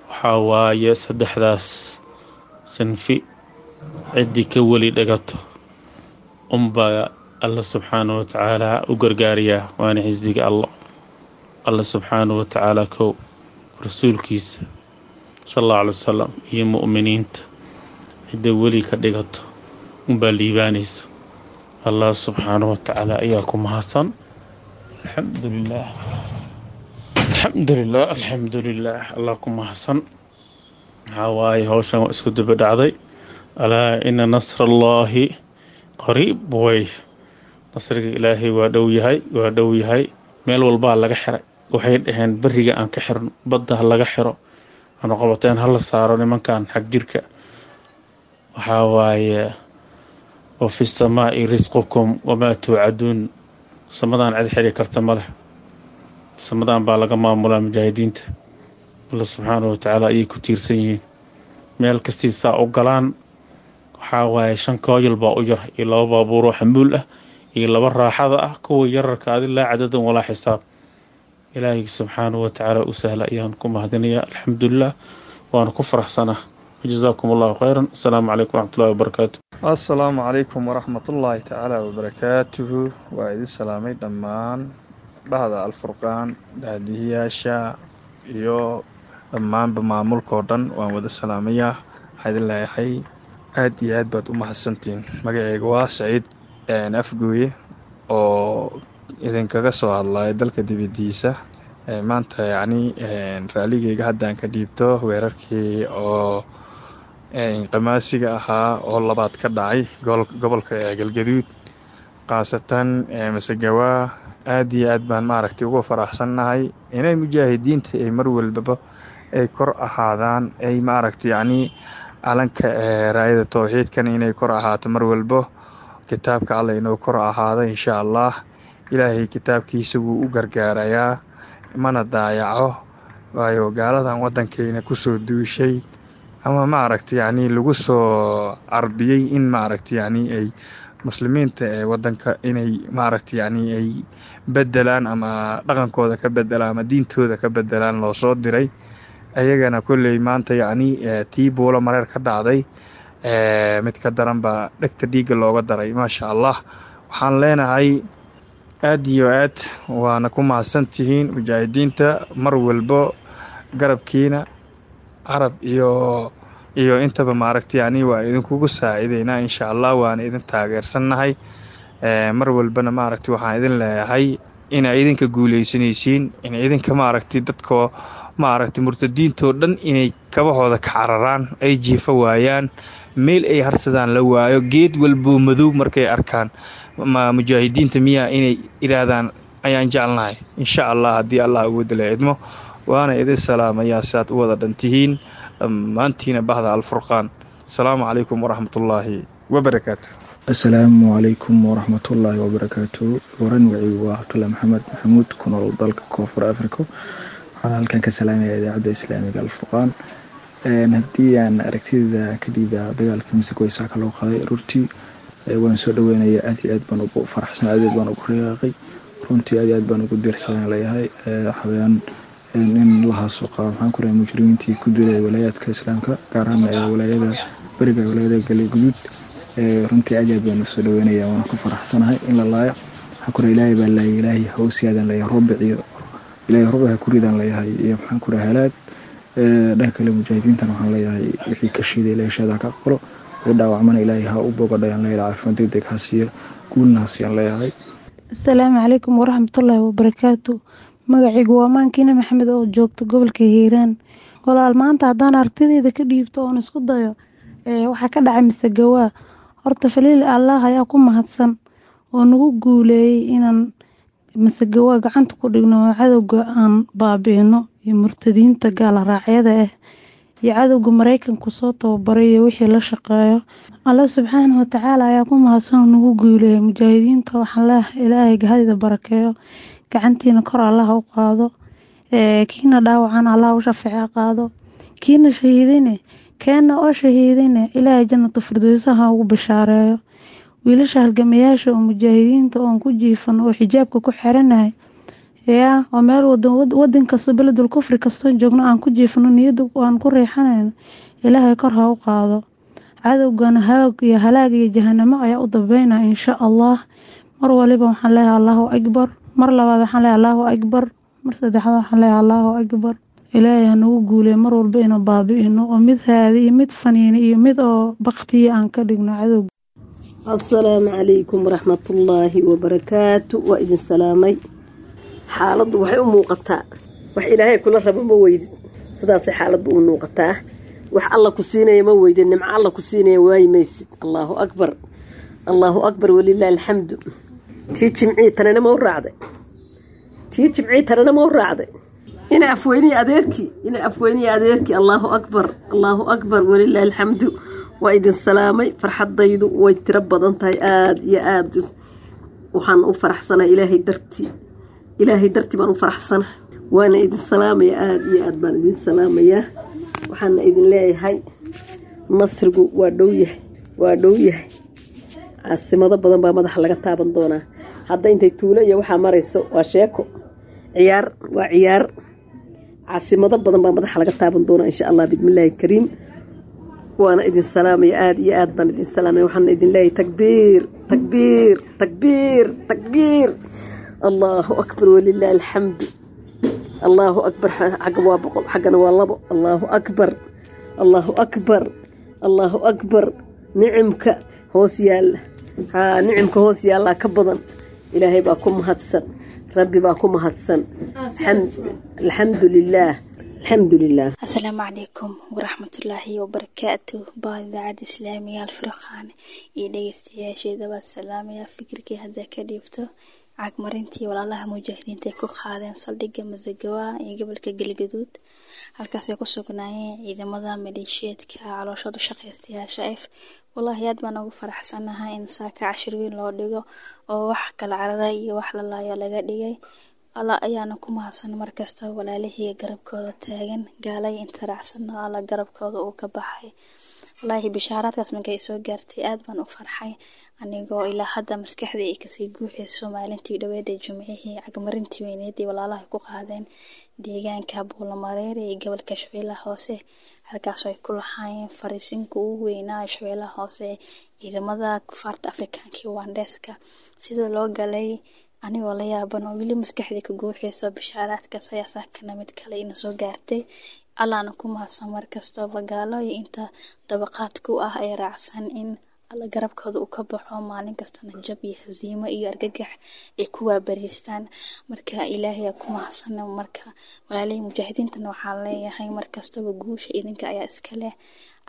Waxaa waaye saddexdaas sinfi ciddii ka weli dhagato unbaa Allah subxaanahu watacaala u gargaariyaa, waana xisbiga Allah. Allah subxaanahu watacaala kow, rasuulkiisa sal allahu alay wasalam iyo mu'miniinta cidda weli ka dhigato unbaa liibaanaysa. Allah subxaanahu watacaala ayaa ku mahadsan. Alxamdulilah, alxamdulilah, alxamdulilah, Allah ku mahadsan. Maxaa waaye howshan waa isku daba dhacday. Alaa ina nasra allaahi qariib, way nasriga Ilaahay waa dhow yahay, waa dhow yahay. Meel walbaa laga xiray, waxay dhaheen beriga aan ka xirno, badda ha laga xiro, aanu qabateen hala saaro nimankan xag jirka. Waxaa waaye wa fi samaa'i risqukum wamaa tuucaduun. Samadaan cid xiri karta ma leh, samadaan baa laga maamulaa mujaahidiinta. Alla subxaanahu watacaala ayay ku tiirsan yihiin. Meel kastii saa u galaan waxaa waaye shan kooyal baa u yar iyo laba baabuuroo xamuul ah iyo laba raaxada ah, kuwa yararka adi laa cadadan walaa xisaab. Ilaahay subxaanahu watacaala u sahla ayaan ku mahadinayaa. Alxamdulilah, waana ku faraxsanaa. Wajazaakum allahu khayran. Asalaamu calaykum waraxmatullahi wabarakaatu. Assalaamu calaykum waraxmatullaahi tacaala wabarakaatuhu. Waa idin salaamay dhammaan dhahda Alfurqaan, daadihiyaasha iyo dhammaanba maamulkao dhan waan wada salaamayaa. Waxaa idin leeyahay aad iyo aad baad u mahadsantihiin. Magaceyga waa Saciid Afgooye oo idinkaga soo hadlaya dalka dibadiisa. Maanta yacni raaligeyga haddaan ka dhiibto weerarkii oo qamaasiga ahaa oo labaad ka dhacay gobolka Galgaduud, khaasatan Masagawaa. Aad iyo aad baan maaragtay uga faraxsannahay inay mujaahidiinta ay mar walbaba ay kor ahaadaan, ay maaragtay yacni calanka raayada towxiidkan inay kor ahaato mar walbo, kitaabka alla inuu kor ahaado insha allah. Ilaahay kitaabkiisa wuu u gargaarayaa, mana daayaco. Waayo gaaladan waddankeyna kusoo duushay ama maaragtay yacni lagu soo carbiyey in maaragtay yacni ay muslimiinta ee waddanka inay maaragtay yacni ay bedelaan ama dhaqankooda ka bedelaan ama diintooda ka bedelaan loo soo diray. Ayagana kolley maanta yacni tii buulo mareer ka dhacday mid ka daran baa dhegta dhiigga looga daray, maasha allah. Waxaan leenahay aad iyo aad waana ku mahadsantihiin mujaahidiinta, mar walbo garabkiina carab iyo iyo intaba maaragtay yacni waa idinkugu saacideynaa insha allah, waana idin taageersannahay mar walbana. Maaragtay waxaan idin leeyahay inaa idinka guuleysanaysiin, in idinka maaragtay dadka maaragtay murtadiintoo dhan inay kabahooda ka cararaan, ay jiifo waayaan, meel ay harsadaan la waayo, geed walboo madow markay arkaan ma mujaahidiinta miyaa inay idhaahdaan ayaan jecelnahay insha allah, haddii allah ugu dala idmo. Waana idin salaamayaa si aad u wada dhan tihiin dhammaantiina bahda Alfurqaan. Asalaamu calaykum waraxmatullaahi wabarakaatu. Asalaamu calaykum waraxmatullaahi wabarakaatu. Waran wacigu waa Cabdullahi Maxamed Maxamuud, ku nool dalka Koonfur Africa. Waxaan halkan ka salaamaya idaacadda islaamiga Alfurqaan. Haddii aan aragtida ka dhiiba dagaalka Masagaway saaka loo qaaday aroortii, waan soo dhaweynaya. Aad iyo aad baan ugu faraxsan, aad iyo aad baan ugu riyaaqay, runtii aad iyo aad baan ugu diirsadan leeyahay. Waxaweyaan in la haasuqa maxaan ku rahay mujrimiintii ku dilay walaayaadka islaamka, gaar ahaan walaayada beriga, walaayada Galguduud. Runtii aad iyo aad baan usoo dhaweynaya, waan ku faraxsanahay in la laayo. Waxaan ku rahay ilaahay baa laayay, ilaahay ha u siyaadaan leeyahay, rubic iyo ilaahay rubic ha ku ridaan leeyahay iyo maxaan ku rahay halaag. Dhanka kale mujaahidiintan waxaan leeyahay wixii ka shiiday ilaahay shaada ka aqbalo, wixii dhaawacmana ilaahay ha u bogadhayaan leeyahay, caafimaad degdeg ha siiyo, guulna ha siiyaan leeyahay. Asalaamu calaykum waraxmatullaahi wabarakaatu. Magacaygu waa Maankiina Maxamed oo joogta gobolka Hiiraan. Walaal, maanta haddaan aragtidayda ka dhiibto oon isku dayo waxaa ka dhacay Masagawaa, horta faliil Allah ayaa ku mahadsan oo nagu guuleeyey inaan Masagawaa gacanta ku dhigno oo cadowga aan baabi'ino iyo murtadiinta gaala raacyada ah iyo cadowga Mareykanku soo tababaray iyo wixii la shaqeeyo. Allah subxaanahu watacaala ayaa ku mahadsan oo nagu guuleeyey. Mujaahidiinta waxaan leeyahay ilaahay gahadida barakeeyo, gacantiina kor Allah u qaado, kiina dhaawacan Allah u shafeeca qaado, kiina shahiidine keena oo shahiidine ilaahay jannatu firdowsaha ugu bishaareeyo. Wiilasha halgamayaasha oo mujaahidiinta oon ku jiifan oo xijaabka ku xiranahay yaa oo meel wadan wadan kasta beledul kufri kastoo joogno aan ku jiifno, niyadda aan ku riixanayno, ilaahay kor ha u qaado. Cadowgana haag iyo halaag iyo jahanamo ayaa u dambeynaya insha allah. Mar waliba waxaan leeyahay Allahu akbar, mar labaad waxaan leeyahay Allahu akbar, mar saddexaad waxaan leeyahay Allahu akbar. Ilaahay ha nagu guuleeyo mar walba inuu baabi'ino oo mid haadi iyo mid faniini iyo mid oo baktiya aan ka dhigno cadowga. Assalaamu calaykum waraxmatullaahi wabarakaatu. Waa idin salaamay. Xaaladdu waxay u muuqataa wax ilaahay kula rabo ma weydid, sidaasay xaaladdu u muuqataa. Wax alla ku siinaya ma weydid, nimco alla ku siinaya waayi maysid. Allaahu akbar, allaahu akbar, walilaahi alxamdu. Tii jimcii tanina ma u raacday, tii jimcii tanina ma u raacday. Ina afweyniya adeerkii, ina afweyniya adeerkii. Allaahu akbar, allaahu akbar, walilaahi alxamdu. Waa idin salaamay. Farxadaydu way tiro badan tahay, aada iyo aada waxaan u faraxsanahay Ilaahay dartii, Ilaahay dartii baan u faraxsanahay. Waana idin salaamaya, aada iyo aad baan idin salaamayaa. Waxaana idin leeyahay nasrigu waa dhow yahay, waa dhow yahay. Caasimado badan baa madaxa laga taaban doonaa. Hadda intay tuulo iyo waxaa marayso waa sheeko, ciyaar waa ciyaar. Caasimado badan baa madaxa laga taaban doonaa insha Allah bismillaahi kariim. Waana idin salaamaya, aada iyo aad baan idin salaamaya. Waxaana idin leeyahay takbiir, takbiir, takbiir, takbiir. Allahu akbar, walilaahi alxamdu. Allahu akbar. Xagga waa boqol, xaggana waa labo. Allahu akbar, Allahu akbar, Allahu akbar. Nicimka hoos yaalla, haa, nicimka hoos yaallaa ka badan. Ilaahay baa ku mahadsan, Rabbi baa ku mahadsan. Alxamdu lilaah, alxamdu lilah. Asalaamu calaykum waraxmatullaahi wabarakaatu. Baa idaacadda islaamiga Alfurqaan iyo dhegeystayaasheeda waa salaamaya. Fikirkii hadda ka dhiibto cagmarintii walaalaha mujaahidiinta ay ku qaadeen saldhigga Masagawa iyo gobolka Galgaduud, halkaasay ku sugnaayeen ciidamada maleeshiyeedka calooshooda shaqaystayaasha f. Wallaahi aad baan ugu faraxsanahay in saaka cashir weyn loo dhigo oo wax kala carara iyo wax la laayo laga dhigay. Alla ayaana ku mahadsan markasta walaalihii garabkooda taagan, gaalay inta raacsana Alla garabkooda uu ka baxay. Wallaahi bishaaraadkaas markay soo gaartay aad baan u farxay, anigoo ilaa hadda maskaxdii ay kasii guuxayso maalintii dhaweed ee Jimcihii cagmarintii weyneed ee walaalaha ku qaadeen deegaanka Buulamareer ee gobolka Shabeellaha Hoose, halkaasoo ay ku lahaayeen fariisinka ugu weynaa Shabeellaha Hoose ciidamada kufaarta Afrikaanka iyo Waandeeska. Sida loo galay anigoo la yaaban oo weli maskaxdii ka guuxayso bishaaraadkaas ayaa saakana mid kale ina soo gaartay. Allaana ku mahadsan markastaba gaalo iyo inta dabaqaad ku ah ee raacsan in Alla garabkooda uu ka baxo, maalin kastana jab iyo hasiimo iyo argagax ay ku waabariistaan. Marka Ilaahay ku mahadsan. Marka walaalihii mujaahidiintana waxaan leeyahay markastaba guusha idinka ayaa iska leh,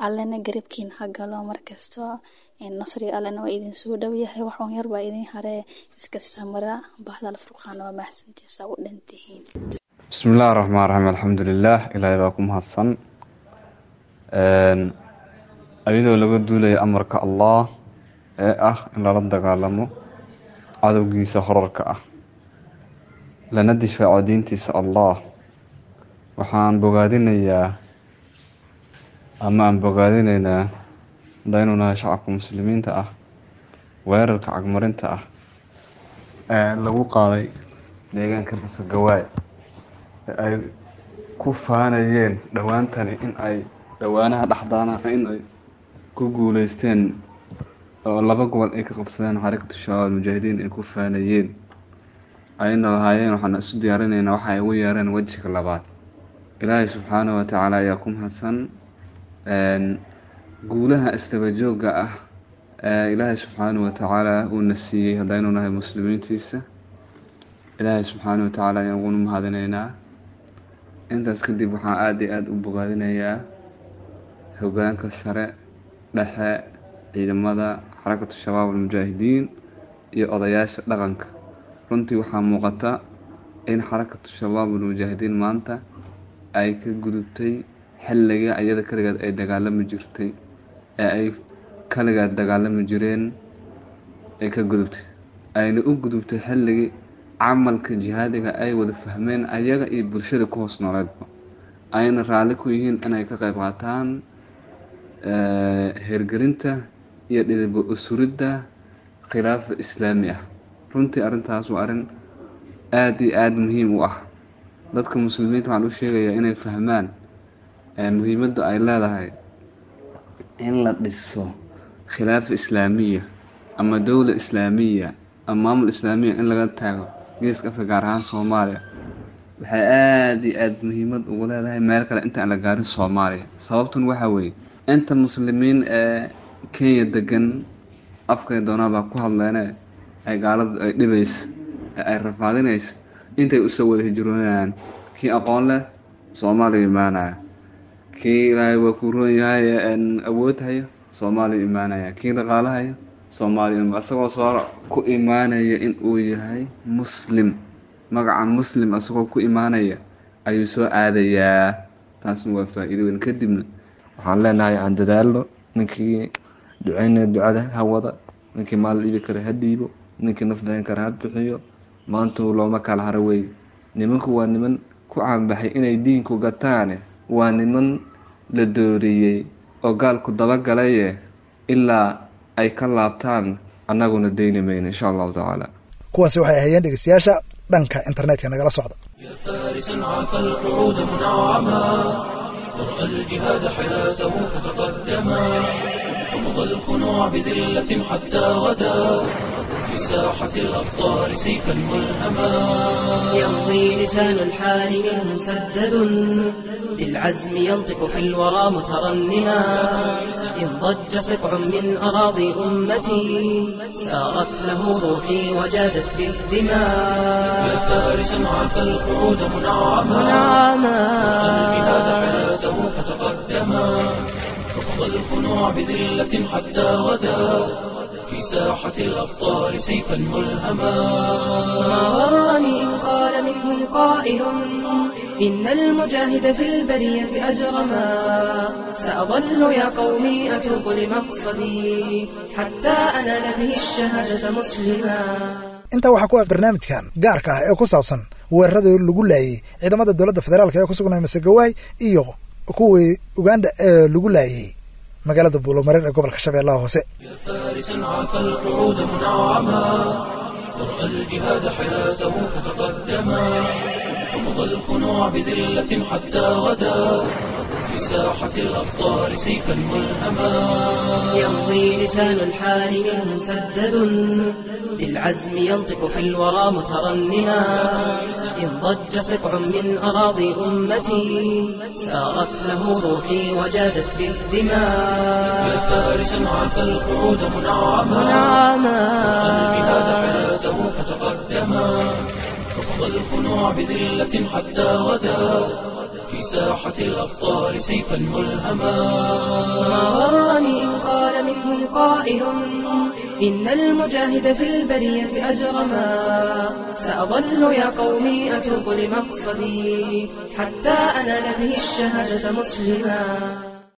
Allana garabkiina ha galo markasta. Nasriga Allana waa idin soo dhow yahay, wax uun yar baa idin haree, iska samra. Bahda Alfurqaan waa mahadsantiisa u dhantihiin. Bismillahi raxmaan raxiim, alxamdulilah, Ilaahay baa ku mahadsan. Iyadoo laga duulayo amarka Allah ee ah in lala dagaalamo cadowgiisa horarka ah, lana difaaco diintiisa Allah, waxaan bogaadinayaa ama aan bogaadinaynaa hadaynu nahay shacabka muslimiinta ah weerarka cagmarinta ah ee lagu qaaday deegaanka Masagawaay ee ay ku faanayeen dhowaantani in ay dhowaanaha dhexdaana in ay ku guuleysteen oo laba gobol ay ka qabsadeen Xarakatu Shabaab Almujaahidiin ay ku faanayeen, ayna lahaayeen waxaan isu diyaarinaynaa waxa ay ugu yeereen wejiga labaad. Ilaahay subxaanahu wa tacaala ayaa ku mahadsan guulaha isdaba joogga ah ee Ilaahay subxaanahu wa tacaala uuna siiyey haddaynu nahay muslimiintiisa. Ilaahay subxaanahu wa tacaala ayaan uguna mahadinaynaa. Intaas kadib waxaan aada iyo aada u bogaadinayaa hogaanka sare, dhexe, ciidamada Xarakatu Shabaab Almujaahidiin iyo odayaasha dhaqanka. Runtii waxaa muuqata in Xarakatu Shabaab Almujaahidiin maanta ay ka gudubtay xilliga iyada kaligeed ay dagaalami jirtay ee ay kaligeed dagaalami jireen ay ka gudubtay, ayna u gudubtay xilligii camalka jihaadiga ay wada fahmeen ayaga iyo bulshada ku hoos nooleedba, ayna raalli ku yihiin inay ka qayb qaataan hirgelinta iyo dhidib usuridda khilaafa islaami ah. Runtii arrintaas waa arrin aada iyo aada muhiim u ah. Dadka muslimiinta waxaan u sheegayaa inay fahmaan muhiimadda ay leedahay in la dhiso khilaafa islaamiya ama dowla islaamiya ama maamul islaamiya in laga taago geeska Afrika, gaar ahaan Soomaaliya. Waxay aada iyo aada muhiimad ugu leedahay meel kale inta aan la gaarin Soomaaliya. Sababtun waxaa weeye inta muslimiin ee Kenya degan afkay doonaan baa ku hadleene ay gaaladu ay dhibaysa ee ay rafaadinaysa intay usoo wada hijroonayaan. Kii aqoon leh Soomaaliya imaanaya, kii Ilaahay waa ku roon yahay awood hayo Soomaaliya imaanaya, kii dhaqaale hayo Soomaaliya, isagoo soo ku imaanaya in uu yahay muslim, magaca muslim isagoo ku imaanaya ayuu soo aadayaa. Taasna waa faa'iido weyn. Kadibna waxaan leenahay aan dadaalno, Ninkii duceynaya ducada ha wada, ninkii maal dhiibi kara ha dhiibo, ninkii naf bixin kara ha bixiyo. Maanta looma kala haro wey. Nimanku waa niman ku caanbaxay inay diinku gataane, waa niman la dooriyey oo gaalku dabagalaye, ilaa ay ka laabtaan annaguna deyni mayno insha allahu tacaala. Kuwaasi waxay ahaayeen dhegeystayaasha dhanka internetka nagala socda. فارسا عفى القعود منعما، ورأى الجهاد حياته فتقدما، رفض الخنوع بذلة حتى غدا في ساحة الأبصار سيفا ملهما. يمضي لسان الحال منه مسدد بالعزم ينطق في الورى مترنما، إن ضج سقع من أراضي أمتي سارت له روحي وجادت بالدماء. يا فارسا عفى القعود منعما، منعما الجهاد حياته فتقدما، رفض الخنوع بذلة حتى غدا في ساحة الأبصار سيفا ملهما. ما غرني إن قال منهم قائل إن المجاهد في البرية أجرما، سأظل يا قومي أتوق لمقصدي حتى أنال به الشهادة مسلما. Intaa waxaa ku eg barnaamijkan gaarka ah ee ku saabsan weeraradii lagu laayay ciidamada dowladda federaalka ee ku sugnay Masegawaay iyo kuwii Uganda ee lagu laayay magaalada Buulomareer ee gobolka Shabeellaha Hoose. فارسا عفى القعود منعما، ورأى الجهاد حياته فتقدما، رفض الخنوع بذلة حتى غدا في ساحة الأبصار سيفا ملهما. يمضي لسان الحال منه مسدد بالعزم ينطق في الورى مترنما، إن ضج سقع من أراضي أمتي سارت له روحي وجادت بالدماء. يا فارسا عفى القعود منعما، منعما الجهاد حياته فتقدما، رفض الخنوع بذلة حتى غدا في ساحة الأبصار سيفا ملهما. ما غرني إن قال منهم قائل إن المجاهد في البرية أجرما، سأظل يا قومي أتوق لمقصدي حتى أنال به الشهادة مسلما.